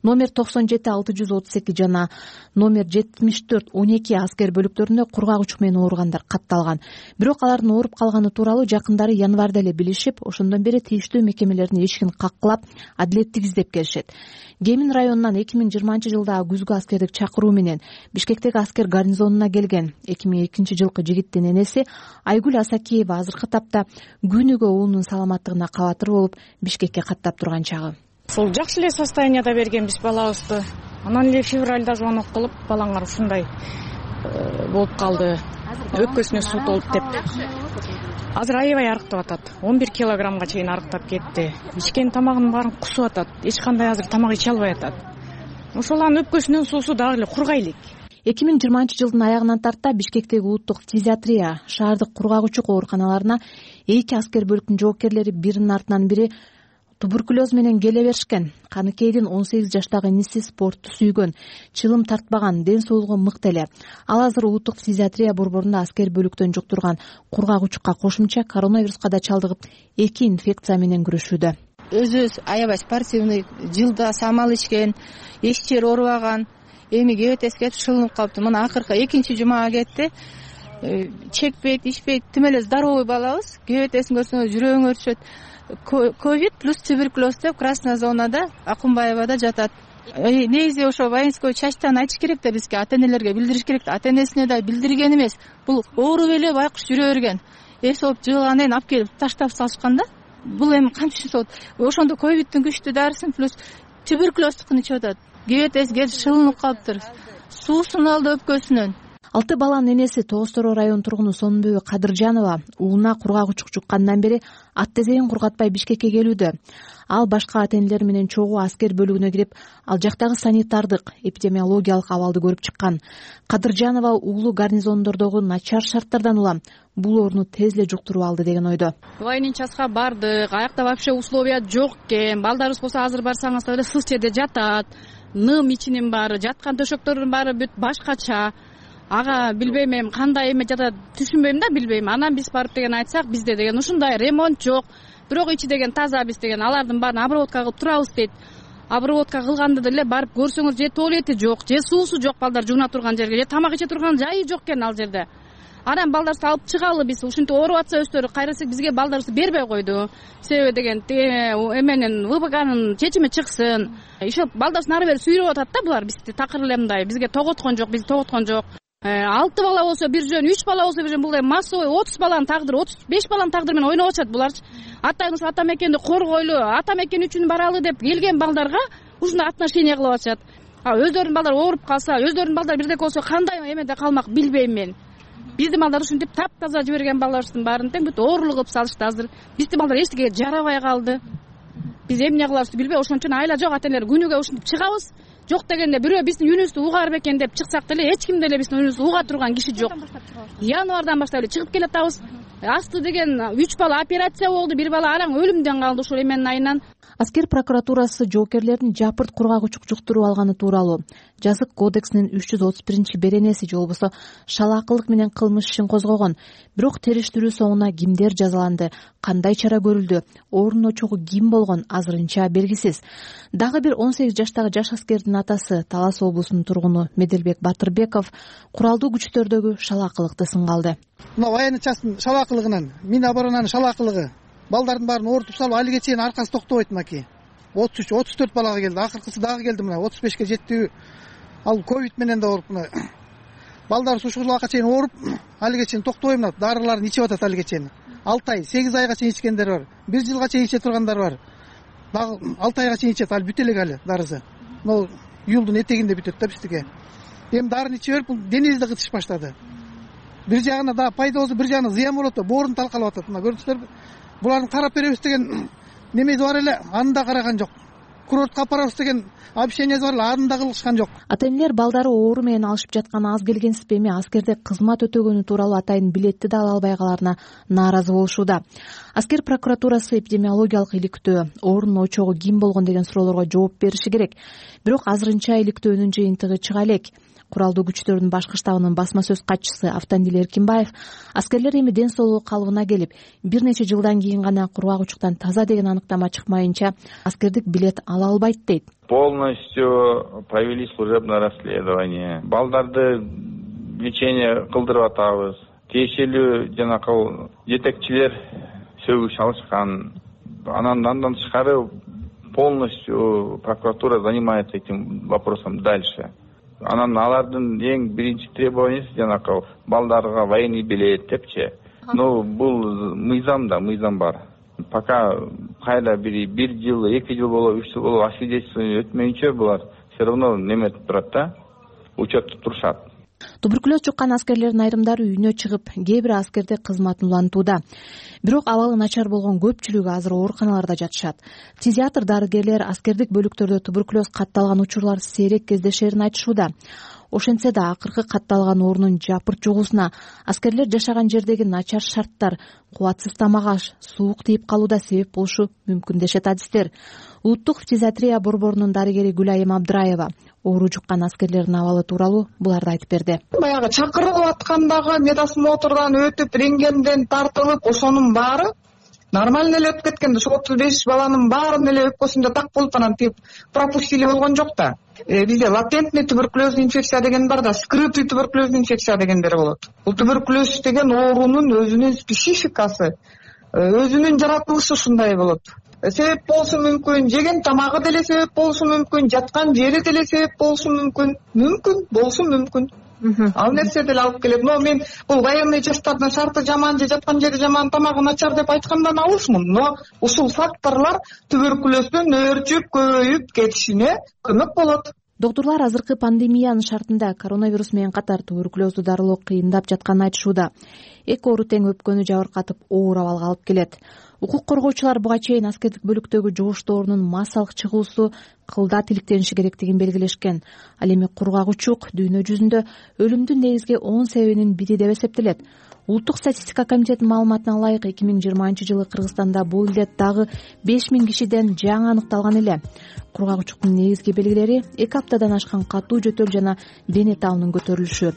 номер токсон жети алты жүз отуз эки жана номер жетимиш төрт он эки аскер бөлүктөрүндө кургагучук менен ооругандар катталган. Бирок алардын ооруп калганы тууралуу жакындары январда эле билишип, ошондон бери тийиштүү мекемелердин эшигин каккылап, адилеттик издеп келишет. Гемин районунан эки миң жыйырманчы жылдагы күзгү аскердик чакыруу менен Бишкектеги аскер гарнизонуна келген эки миң экинчи жылкы жигиттин энеси Айгүл Асакеева азыркы тапта күнүгө уулунун саламаттыгына кабатыр болуп Бишкекке каттап турган чагы. Сол жакшы эле состоянияда бергенбиз балабызды. Анан эле февралда звонок кылып, балаңар ушундай болуп калды, өпкөсүнө суу толуп деп. Азыр аябай арыктап атат. он бир килограммга чейин арыктап кетти. Ичкен тамагынын баарын кусуп атат. Эч кандай азыр тамак иче албай атат. Ошол анын өпкөсүнөн суусу дагы эле кургай элек. эки миң жыйырманчы жылдын аягынан тарта Бишкектеги улуттук фтизиатрия, шаардык кургагучук ооруканаларына эки аскер бөлүктүн жоокерлери биринин артынан бири туберкулез менен келе беришкен. Каныкейдин он сегиз жаштагы иниси спортту сүйгөн, чылым тартпаган, ден соолугу мыкты эле. Ал азыр улуттук фтизиатрия борборунда аскер бөлүктөн жуктурган кургагучукка кошумча коронавируска да чалдыгып, эки инфекция менен күрөшүүдө. Өзүбүз аябай спортивный, жылда самал ичкен, эч жери оорубаган, эми кебетес кетип шылынып калыптыр. Мына акыркы экинчи жумага кетти. Чекпейт, ичпейт, тим эле здоровый балабыз. Кебетесин көрсөңөр жүрөгүң өрчөт. Ковид плюс туберкулез деп красная зонада Акунбаевада жатат. Негизи ошо воинской частьтан айтыш керек да, бизге ата-энелерге билдириш керек да. Ата-энесине да билдирген эмес. Бул ооруп эле байкуш жүрө берген. Эс болуп жыгылгандан кийин алып келип таштап салышкан да. Бул эми кантип болот? Ошондо ковидтин күчтүү дарысын плюс туберкулездикин ичип атат. Кебетес келип шылынып калыптыр. Суусун алды өпкөсүнөн. Алты баланын энеси Тоостороо район тургуну Сонбүбө Кадыржанова уулуна кургагучук жуккандан бери ат тезегин кургатпай Бишкекке келүүдө. Ал башка ата-энелер менен чогуу аскер бөлүгүнө кирип, ал жактагы санитардык, эпидемиологиялык абалды көрүп чыккан. Кадыржанова уулу гарнизондордогу начар шарттардан улам бул ооруну тез эле жуктуруп алды деген ойдо. Военный частка бардык, аякта вообще условия жок экен. Балдарыбыз болсо азыр барсаңыз эле сыз жерде жатат. Ным ичинин баары, жаткан төшөктөрдүн баары бүт башкача. Ага билбейм эми кандай эме жатат түшүнбөйм да, билбейм. Анан биз барып деген айтсак, бизде деген ушундай ремонт жок. Бирок ичи деген таза, биз деген алардын баарын обработка кылып турабыз дейт. Обработка кылганда деле барып көрсөңүз, же туалети жок, же суусу жок балдар жууна турган жерге, же тамак иче турган жайы жок экен ал жерде. Анан балдарыбызды алып чыгалы биз, ушинтип ооруп атса өздөрү кайрылсак бизге балдарыбызды бербей койду. Себеби деген эменин ВБКнын чечими чыксын. Ишо балдарыбыздын ары бери сүйрөп атат да булар бизди такыр эле мындай. Бизге тоготкон жок, бизди тоготкон жок. алты бала болсо бир жөн, үч бала болсо бир жөн, бул эми массовый отуз баланын тагдыры, отуз беш баланын тагдыры менен ойноп атышат буларчы. Атайын ата мекенди коргойлу, ата мекен үчүн баралы деп келген балдарга ушундай отношение кылып атышат. А өздөрүнүн балдары ооруп калса, өздөрүнүн балдары бирдеке болсо кандай эмеде калмак билбейм мен. Биздин балдар ушинтип таптаза жиберген балдарыбыздын баарын тең бүт оорулук кылып салышты азыр. Биздин балдар эчтекеге жарабай калды. Биз эмне кылабызды билбей, ошон үчүн айла жок ата-энелер күнүгө ушинтип чыгабыз. Жок дегенде бирөө биздин үнүбүздү угаар бекен деп чыксак деле эч ким деле биздин үнүбүздү уга турган киши жок. Январдан баштап эле чыгып келатабыз. Асты деген үч бала операция болду, бир бала араң өлүмдөн калды ушул эменин айынан. Аскер прокуратурасы жоокерлердин жапырт кургагучук жуктуруп алганы тууралуу жазык кодексинин үч жүз отуз биринчи беренеси же болбосо шалаакылык менен кылмыш ишин козгогон. Бирок териштирүү соңуна кимдер жазаланды, кандай чара көрүлдү, оорунун очогу ким болгон азырынча белгисиз. Дагы бир он сегиз жаштагы жаш аскердин атасы Талас облусунун тургуну Меделбек Батырбеков куралдуу күчтөрдөгү шалаакылыкты сынга алды. Мына военный частын шалаакылыгынан, мин оборонанын шалаакылыгы балдардын баарын оорутуп салып, алиге чейин аркасы токтобойт мынакей. отуз үч отуз төрт балага келди, акыркысы дагы келди мына отуз бешке жетти. Ал ковид менен да ооруп мына. Балдар сушкурлукка чейин ооруп, алиге чейин токтобой мына дарыларын ичип атат алиге чейин. алты ай, сегиз айга чейин ичкендер бар. бир жылга чейин иче тургандар бар. Дагы алты айга чейин ичет, ал бүтө элек али дарысы. Могу июлдун этегинде бүтөт да биздики. Эми дарын ичип берип, бул денебизди кытыш баштады. Бир жагына да пайда болсо, бир жагына зыян болот да, боорун талкалап атат. Мына көрдүңүздөр, булардын карап беребиз деген немеси бар эле, аны да караган жок. Курортко апарабыз деген обещаниясы бар эле, аны да кылышкан жок. Ата-энелер балдары оору менен алышып жатканы аз келгенсип эми аскерде кызмат өтөгөнү тууралуу атайын билетти да ала албай калаарына нааразы болушууда. Аскер прокуратурасы эпидемиологиялык иликтөө, оорунун очогу ким болгон деген суроолорго жооп бериши керек. Бирок азырынча иликтөөнүн жыйынтыгы чыга элек. Куралдуу күчтөрдүн башкы штабынын басма сөз катчысы Автандил Эркинбаев аскерлер эми ден соолугу калыбына келип, бир нече жылдан кийин гана кургагучуктан таза деген аныктама чыкмайынча аскердик билет ала албайт дейт. Полностью провели служебное расследование. Балдарды лечение кылдырып атабыз. Тиешелүү жанакы жетекчилер сөгүш алышкан. Анан андан тышкары полностью прокуратура занимается этим вопросом дальше. Анан алардын эң биринчи требованиясы жанакы балдарга военный билет депчи. Ну бул мыйзам да, мыйзам бар. Пока кайда бир бир жыл, эки жыл болобу, үч жыл болобу освидетельствование өтмөйүнчө булар все равно неметип турат да, учетто турушат. Туберкулез жуккан аскерлердин айрымдары үйүнө чыгып, кээ бир аскерде кызматын улантууда. Бирок абалы начар болгон көпчүлүгү азыр ооруканаларда жатышат. Психиатр дарыгерлер аскердик бөлүктөрдө туберкулез катталган учурлар сейрек кездешерин айтышууда. Ошентсе да акыркы катталган оорунун жапырт жугуусуна аскерлер жашаган жердеги начар шарттар, кубатсыз тамак аш, суук тийип калууда себеп болушу мүмкүн дешет адистер. Улуттук фтизиатрия борборунун дарыгери Гүлайым Абдыраева оору жуккан аскерлердин абалы тууралуу буларды айтып берди. Баягы чакырылып аткандагы медосмотрдан өтүп, рентгенден тартылып, ошонун баары нормально эле өтүп кеткен. Ошо отуз беш баланын баарын эле өпкөсүндө так болуп анан тип пропустили болгон жок да. Бизде латентный туберкулезный инфекция деген бар да, скрытый туберкулезный инфекция дегендер болот. Бул туберкулез деген оорунун өзүнүн спецификасы, өзүнүн жаратылышы ушундай болот. Себеп болушу мүмкүн, жеген тамагы деле себеп болушу мүмкүн, жаткан жери деле себеп болушу мүмкүн, мүмкүн болушу мүмкүн. Ал нерсе деле алып келет. Но мен бул военный часттардын шарты жаман же жаткан жери жаман, тамагы начар деп айткандан алысмын. Но ушул факторлор туберкулездин өөрчүп, көбөйүп кетишине көмөк болот. Доктурлар азыркы пандемиянын шартында коронавирус менен катар туберкулезду дарылоо кыйындап жатканын айтышууда. Эки оору тең өпкөнү жабыркатып, оор абалга алып келет. Укук коргоочулар буга чейин аскердик бөлүктөгү жугуштуу оорунун массалык чыгуусу кылдат иликтениши керектигин белгилешкен. Ал эми кургагучук дүйнө жүзүндө өлүмдүн негизги он себебинин бири деп эсептелет. Улуттук статистика комитетинин маалыматына ылайык эки миң жыйырманчы жылы Кыргызстанда бул илдет дагы беш миң кишиден жаңы аныкталган эле. Кургагучуктун негизги белгилери эки аптадан ашкан катуу жөтөл жана дене табынын көтөрүлүшү.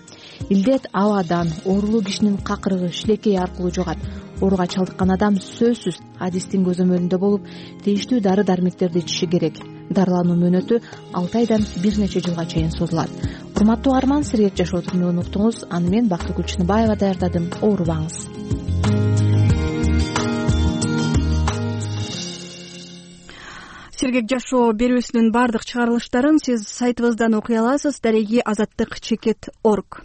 Илдет абадан, оорулуу кишинин какырыгы, шилекейи аркылуу жугат. Ооруга чалдыккан адам сөзсүз адистин көзөмөлүндө болуп, тийиштүү дары дармектерди ичиши керек. Дарылануу мөөнөтү алты айдан бир нече жылга чейин созулат. Урматтуу арман, сергек жашоо турмугун уктуңуз. Аны мен Бактыгүл Күлчүнбаева даярдадым. Оорубаңыз. Сергек жашоо берүүсүнүн бардык чыгарылыштарын сиз сайтыбыздан окуй аласыз. Дареги азаттык чекит точка орг.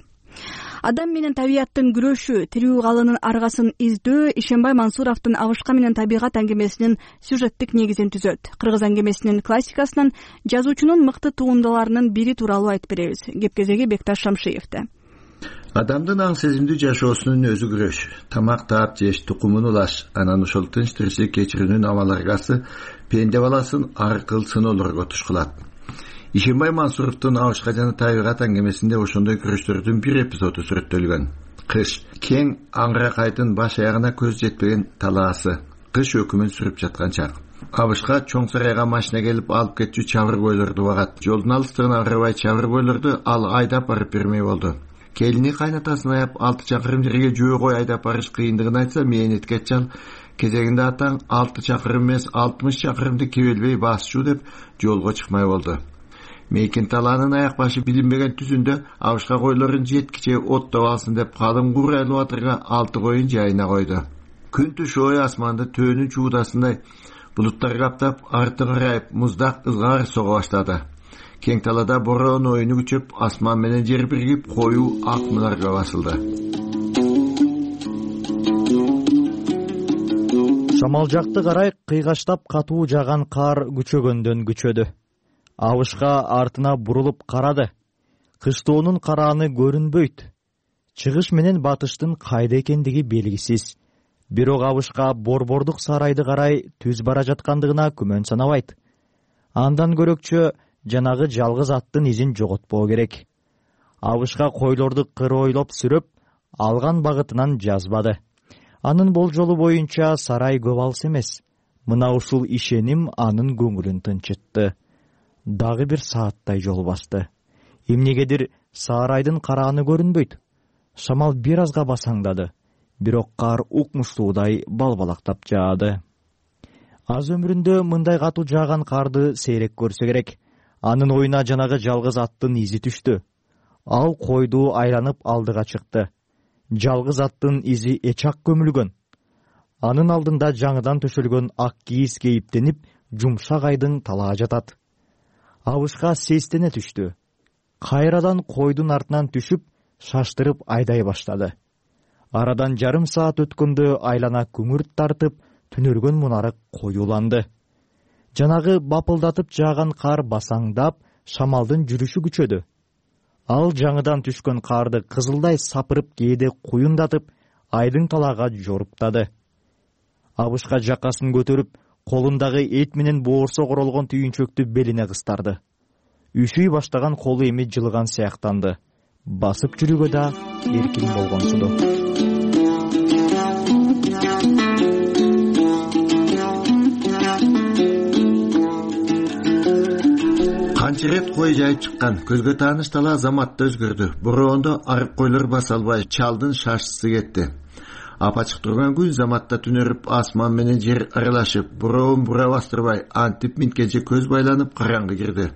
Адам менен табияттын күрөшү, тирүү калынын аргасын издөө Ишенбай Мансуровдун Абышка менен табигат аңгемесинин сюжеттик негизин түзөт. Кыргыз аңгемесинин классикасынан жазуучунун мыкты тугундаларынын бири тууралуу айтып беребиз. Кепкезеги Бекташ Шамшиевде. Адамдын аң сезимдүү жашоосунун өзү күрөш. Тамак таап жеш, тукумун улаш, анан ошол тынч тиричилик кечирүүнүн амал аргасы пенде баласын аркыл сыноолорго тушкулат. Ишенбай Мансуровдун Абышка жана табигат аңгемесинде ошондой күрөштөрдүн бир эпизоду сүрөттөлгөн. Кыш кең аңгыракайдын баш аягына көз жетпеген талаасы, кыш өкүмүн сүрүп жаткан чак. Абышка чоң сарайга машина келип алып кетчү чабыргойлорду багат. Жолдун алыстыгына карабай чабыргойлорду ал айдап барып бермей болду. Келини кайнатасын аяп алты чакырым жерге жөө айдап барыш кыйындыгын айтса, мээнетке ачал кезегинде атаң алты чакырым эмес алтымыш чакырымды кебелбей басчу деп жолго чыкмай болду. Мейкин талаанын аяк башы билинбеген түзүндө Абышка койлорун жеткиче оттоп алсын деп калың курайлы батырга алты коюн жайына койду. Күн түшөй асманды төөнүн чуудасындай булуттар каптап, арты карайып муздак ызгаар сого баштады. Кең талада бороон оюну күчөп, асман менен жер биригип, коюу ак мунарга басылды. Шамал жакты карай кыйгаштап катуу жаган кар күчөгөндөн күчөдү. Абышка артына бурулуп карады. Кыштоонун карааны көрүнбөйт. Чыгыш менен батыштын кайда экендиги белгисиз. Бирок Абышка борбордук сарайды карай түз бара жаткандыгына күмөн санабайт. Андан көрөкчө жанагы жалгыз аттын изин жоготпоо керек. Абышка койлорду кыройлоп сүрөп, алган багытынан жазбады. Анын болжолу боюнча сарай көп алыс эмес. Мына ушул ишеним анын көңүлүн тынчытты. Дагы бир сааттай жол басты. Эмнегедир сарайдын карааны көрүнбөйт. Шамал бир азга басаңдады. Бирок кар укмуштуудай балбалактап жаады. Аз өмүрүндө мындай катуу жааган карды сейрек көрсө керек. Анын оюна жанагы жалгыз аттын изи түштү. Ал койду айланып алдыга чыкты. Жалгыз аттын изи эчак көмүлгөн. Анын алдында жаңыдан төшөлгөн ак кийиз кейиптенип, жумшак айдың талаа жатат. Абышка сестене түштү. Кайрадан койдун артынан түшүп, шаштырып айдай баштады. Арадан жарым саат өткөндө айлана күңүрт тартып, түнөргөн мунары коюланды. Жанагы бапылдатып жааган кар басаңдап, шамалдын жүрүшү күчөдү. Ал жаңыдан түшкөн карды кызылдай сапырып кээде куюндатып, айдың талаага жоруптады. Абышка жакасын көтөрүп, колундагы эт менен боорсок оролгон түйүнчөктү белине кыстарды. Үшүй баштаган колу эми жылыган сыяктанды. Басып жүрүүгө да эркин болгонсуду. Канча рет кой жайып чыккан, көзгө тааныш талаа заматта өзгөрдү. Бороондо арык койлор баса албай, чалдын шашысы кетти. Апачык турган күн заматта түнөрүп, асман менен жер аралашып, бороон бура бастырбай, антип минткенче көз байланып караңгы кирди.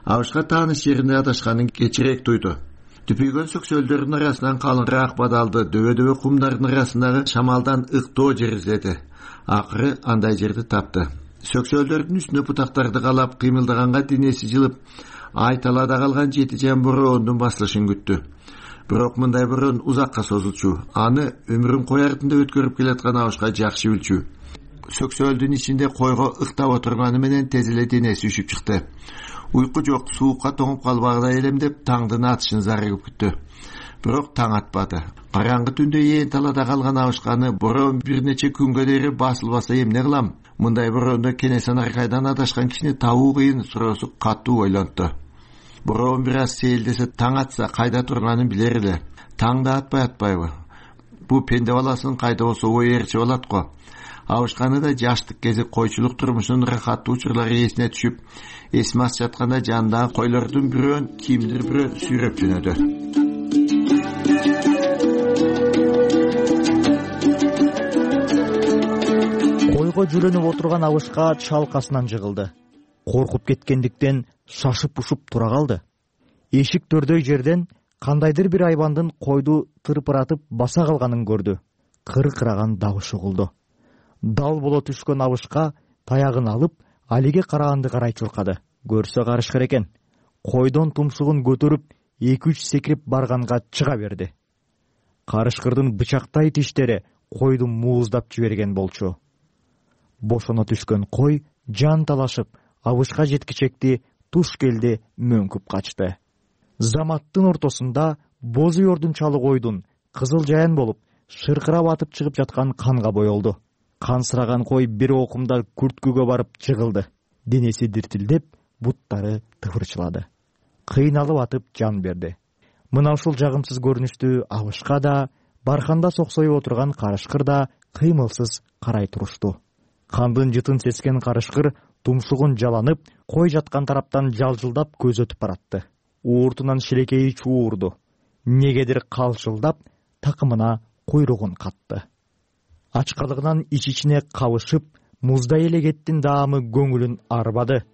Абышка тааныш жеринде адашканын кечирээк туйду. Түпүйгөн сөксөлдөрдүн арасынан калыңыраак бадалды, дөбө-дөбө кумдардын арасындагы шамалдан ыктоо жер издеди. Акыры андай жерди тапты. Сөксөлдөрдүн үстүнө бутактарды калап, кыймылдаганга денеси жылып, ай талаада калган жети жан бороондун басылышын күттү. Бирок мындай бороон узакка созулчу. Аны өмүрүн кой артында өткөрүп келаткан Абышка жакшы билчү. Сөксөлдүн ичинде койго ыктап отурганы менен тез эле денеси үшүп чыкты. Уйку жок, суукка тоңуп калбагыдай элем деп таңдын атышын зарыгып күттү. Бирок таң атпады. Караңгы түндө ээн талаада калган Абышканы бороон бир нече күнгө дейин басылбаса эмне кылам? Мындай бороондо кенесен аркайдан адашкан кишини табуу кыйын суроосу катуу ойлонту. Бороон бир аз сейилдесе таң атса кайда турганын билер эле. Таң да атпай атпайбы? Бу пенде баласын кайда болсо ой ээрчи болот го. Абышканы да жаштык кези койчулук турмушунун рахаттуу учурлары эсине түшүп, эсмас жатканда жанындагы койлордун бирөөн кимдир бирөө сүйрөп жөнөдү. Койго жүрөнүп отурган Абышка чалкасынан жыгылды. Коркуп кеткендиктен шашып ушуп тура калды. Эшик төрдөй жерден кандайдыр бир айбандын койду тырпыратып баса калганын көрдү. Кыркыраган дабыш угулду. Дал боло түшкөн Абышка таягын алып, алиге караганды карай чуркады. Көрсө карышкыр экен. Койдон тумшугун көтөрүп, эки үч секирип барганга чыга берди. Карышкырдын бычактай тиштери койду мууздап жиберген болчу. Бошоно түшкөн кой жан талашып, Абышка жеткичекти туш келди мөңкүп качты. Заматтын ортосунда боз уйордун чалы койдун кызыл жаян болуп, шыркырап атып чыгып жаткан канга боелду. Кансыраган кой бир окумда күрткүгө барып жыгылды. Денеси диртилдеп, буттары тыпырчылады. Кыйналып атып жан берди. Мына ушул жагымсыз көрүнүштү Абышка да, барханда соксоюп отурган карышкыр да кыймылсыз карай турушту. Кандын жытын сескен карышкыр тумшугун жаланып, кой жаткан тараптан жалжылдап көзөтүп баратты. Ууртунан шилекейи чуурду. Негедир калчылдап, такымына койругун катты. Ачкалыгынан ич-ичине кабышып, муздай эле кеттин даамы көңүлүн арбады.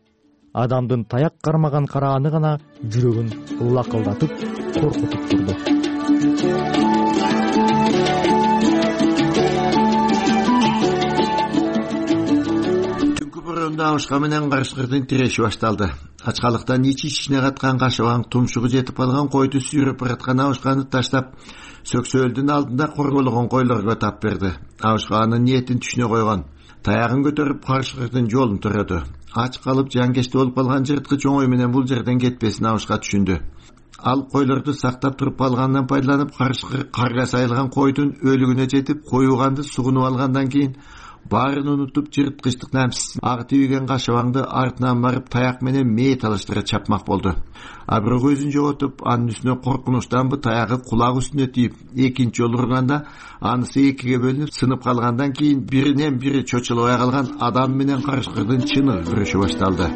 Адамдын таяк кармаган карааны гана жүрөгүн лакылдатып, коркутуп турду. Түнкү бороондо абышка менен карышкырдын тиреши башталды. Ачкалыктан ич-ичине каткан кашыбаң тумшугу жетип алган койду сүйрөп бараткан абышканы таштап, сөксөөлдүн алдында корголгон койлорго тап берди. Абышка анын ниетин түшүнө койгон. Таягын көтөрүп карышкырдын жолун төрөдү. Ач калып жанкечти болуп калган жырткыч оңой менен бул жерден кетпесин абышка түшүндү. Ал койлорду сактап туруп калгандан пайдаланып, карышкыр карга сайылган койдун өлүгүнө жетип, коюганды сугунуп алгандан кийин баарын унутуп, жырткычтык намсыз ак тийген кашыбаңды артынан барып таяк менен мээ талаштыра чапмак болду. А бирок өзүн жоготуп, анын үстүнө коркунучтанбы таягы кулак үстүнө тийип, экинчи жолу урганда анысы экиге бөлүнүп, сынып калгандан кийин биринен бири чочулабай калган адам менен карышкырдын чыныгы күрөшү башталды.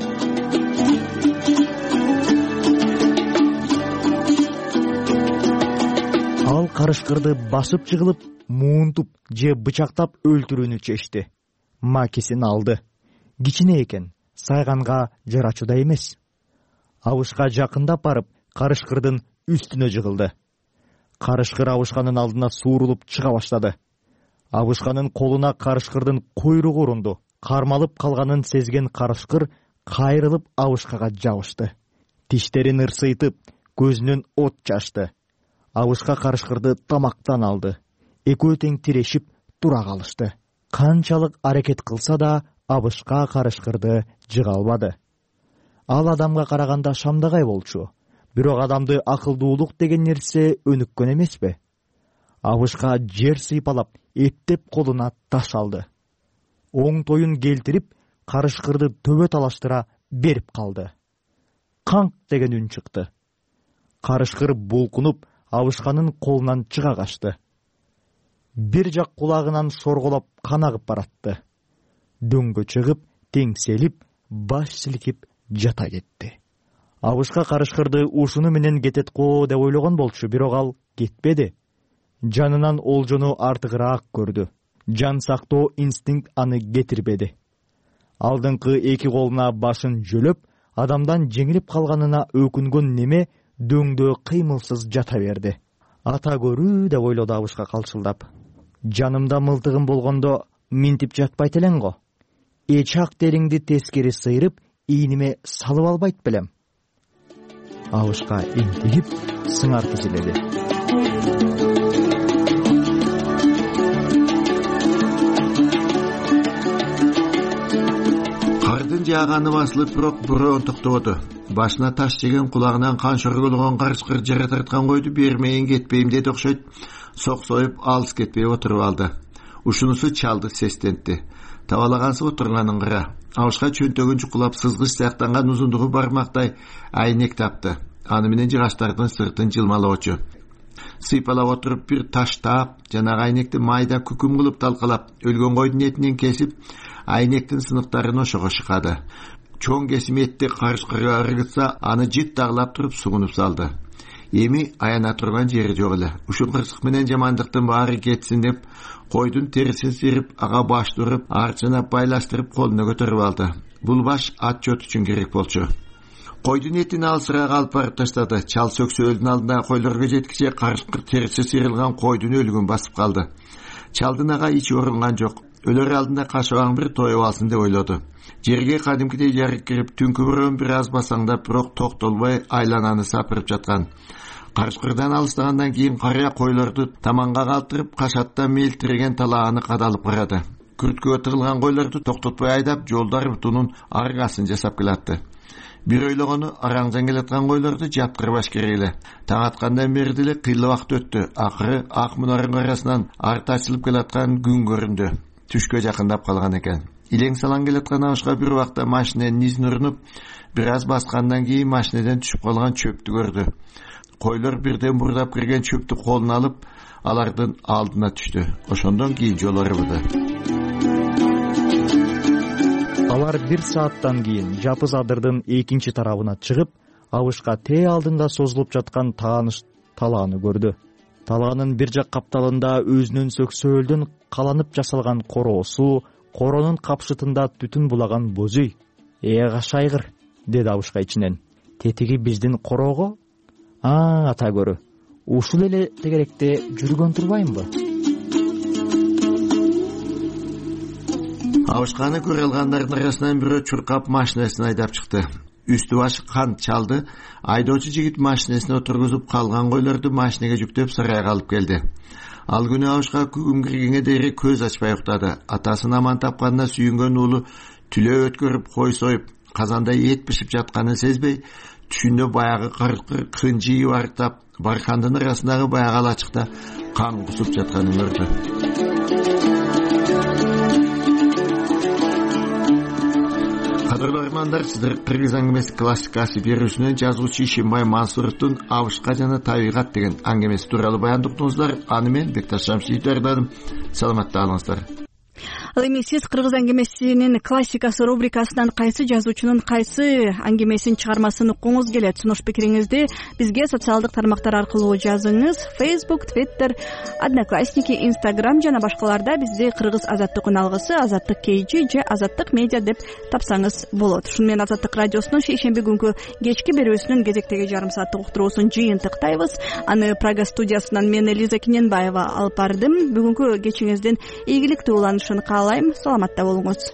Ал карышкырды басып жыгылып, муунтуп же бычактап өлтүрүүнү чечти. Макисин алды. Кичине экен, сайганга жарачуда эмес. Абышка жакындап барып, карышкырдын үстүнө жыгылды. Карышкыр абышканын алдына суурулуп чыга баштады. Абышканын колуна карышкырдын койругу урунду. Кармалып калганын сезген карышкыр кайрылып абышкага жабышты. Тиштерин ырсыйтып, көзүнөн от чачты. Абышка карышкырды тамактан алды. Экөө тең тирешип тура калышты. Канчалык аракет кылса да, абышка карышкырды жыга албады. Ал адамга караганда шамдагай болчу. Бирок адамды акылдуулук деген нерсе өнүккөн эмеспи? Абышка жер сыйпалап, эптеп колуна таш алды. Оң тоюн келтирип, карышкырды төбө талаштыра берип калды. Канк деген үн чыкты. Карышкыр булкунуп, абышканын колунан чыга качты. Бир жак кулагынан шорголоп кан агып баратты. Дөңгө чыгып, теңселип, баш силкип жата кетти. Абышка карышкырды ушуну менен кетет го деп ойлогон болчу, бирок ал кетпеди. Жанынан олжону артыгыраак көрдү. Жан сактоо инстинкт аны кетирбеди. Алдыңкы эки колуна башын жөлөп, адамдан жеңилип калганына өкүнгөн неме дөңдө кыймылсыз жата берди. Ата көрүү деп ойлоду абышка калчылдап. Жанымда мылтыгым болгондо минтип жатпайт элең го. Эчак териңди тескери сыйрып, ийниме салып албайт белем. Абышка интигип, сыңар тизиледи. Кардын жааганы басылып, бирок бороон токтободу. Башына таш жеген, кулагынан кан шорголгон карышкыр жара тарткан койду бермейин кетпейм деди окшойт. Соксоюп алыс кетпей отуруп алды. Ушунусу чалды сестентти. Табалагансып отурганын кыра. Абышка чөнтөгүн чукулап сызгыч сыяктанган узундугу бармактай айнек тапты. Аны менен жыгачтардын сыртын жылмалоочу. Сыйпалап отуруп бир таш таап, жанагы айнекти майда күкүм кылып талкалап, өлгөн койдун этинен кесип, айнектин сыныктарын ошого шыкады. Чоң кесим этти карышкырга ыргытса, аны жыт тагылап туруп сугунуп салды. Эми аяна турган жери жок эле. Ушул кырсык менен жамандыктын баары кетсин деп, койдун терисин сыйрып, ага баш туруп, арчына байлаштырып колуна көтөрүп алды. Бул баш отчет үчүн керек болчу. Койдун этин алысыраак алып барып таштады. Чал сөксөөлдүн алдына койлорго жеткиче карышкыр териси сыйрылган койдун өлүгүн басып калды. Чалдын ага ичи орунган жок. Өлөр алдында кашыбаң бир тоюп алсын деп ойлоду. Жерге кадимкидей жарык кирип, түнкү бороон бир аз басаңдап, бирок токтолбой айлананы сапырып жаткан. Карышкырдан алыстагандан кийин карыя койлорду таманга калтырып, кашаттан мелтиреген талааны кадалып карады. Күрткөгө тыгылган койлорду токтотпой айдап, жолдар бутунун аргасын жасап келатты. Бир ойлогону, араңжан келаткан койлорду жаткырбаш керек эле. Таң аткандан бери деле кыйла убакыт өттү. Акыры ак мунардын арасынан арты ачылып келаткан күн көрүндү. Түшкө жакындап калган экен. Илең салаң келаткан абышка бир убакта машиненин изин урунуп, бир аз баскандан кийин машинеден түшүп калган чөптү көрдү. Койлор бирден бурдап кирген чөптү колуна алып, алардын алдына түштү. Ошондон кийин жол өрбүдү. бар бир сааттан кийин Жапыз адырдын экинчи тарабына чыгып, абышка тээ алдында созулуп жаткан тааныш талааны көрдү. Талаанын бир жак капталында өзүнүн сөксөөлдөн каланып жасалган короосу, коронун капшытында түтүн булаган боз үй. Э кашайгыр, деди абышка ичинен. Тетиги биздин короого? А, ата көрү. Ушул эле тегеректе жүргөн турбаймынбы? Абышканы көрө алгандардын арасынан бирөө чуркап машинесин айдап чыкты. Үстү башы кант чалды. Айдоочу жигит машинесине отургузуп калган койлорду машинеге жүктөп сарайга алып келди. Ал күнү абышка күн киргенге дейин көз ачпай уктады. Атасын аман тапканына сүйүнгөн уулу түлөө өткөрүп кой союп, казанда эт бишип жатканын сезбей, түшүндө баягы кыркыр кынжии барктап, баркандын арасындагы баягы алачыкта кан кусуп жатканын көрдү. Кадырлуу армандар, сиздер Кыргыз аңгемеси классикасы берүүсүнөн жазуучу Ишимбай Мансуровдун Абышка жана табигат деген аңгемеси тууралуу баян уктуңуздар. Аны мен Бекташ Шамшиев даярдадым. Саламатта калыңыздар. Ал эми сиз Кыргыз аңгемесинин классикасы рубрикасынан кайсы жазуучунун кайсы аңгемесин чыгармасын уккуңуз келет? Сунуш пикириңизди бизге социалдык тармактар аркылуу жазыңыз. Facebook, Twitter, Одноклассники, Instagram жана башкаларда бизди Кыргыз Азаттык үналгысы, Азаттык Кейжи же Азаттык медиа деп тапсаңыз болот. Ушуну менен Азаттык радиосунун шейшемби күнкү кечки берүүсүнүн кезектеги жарым сааттык уктуруусун жыйынтыктайбыз. Аны Прага студиясынан мен Элиза Киненбаева алып бардым. Бүгүнкү кечиңиздин ийгиликтүү уланышын каалайм. Саламатта болуңуз.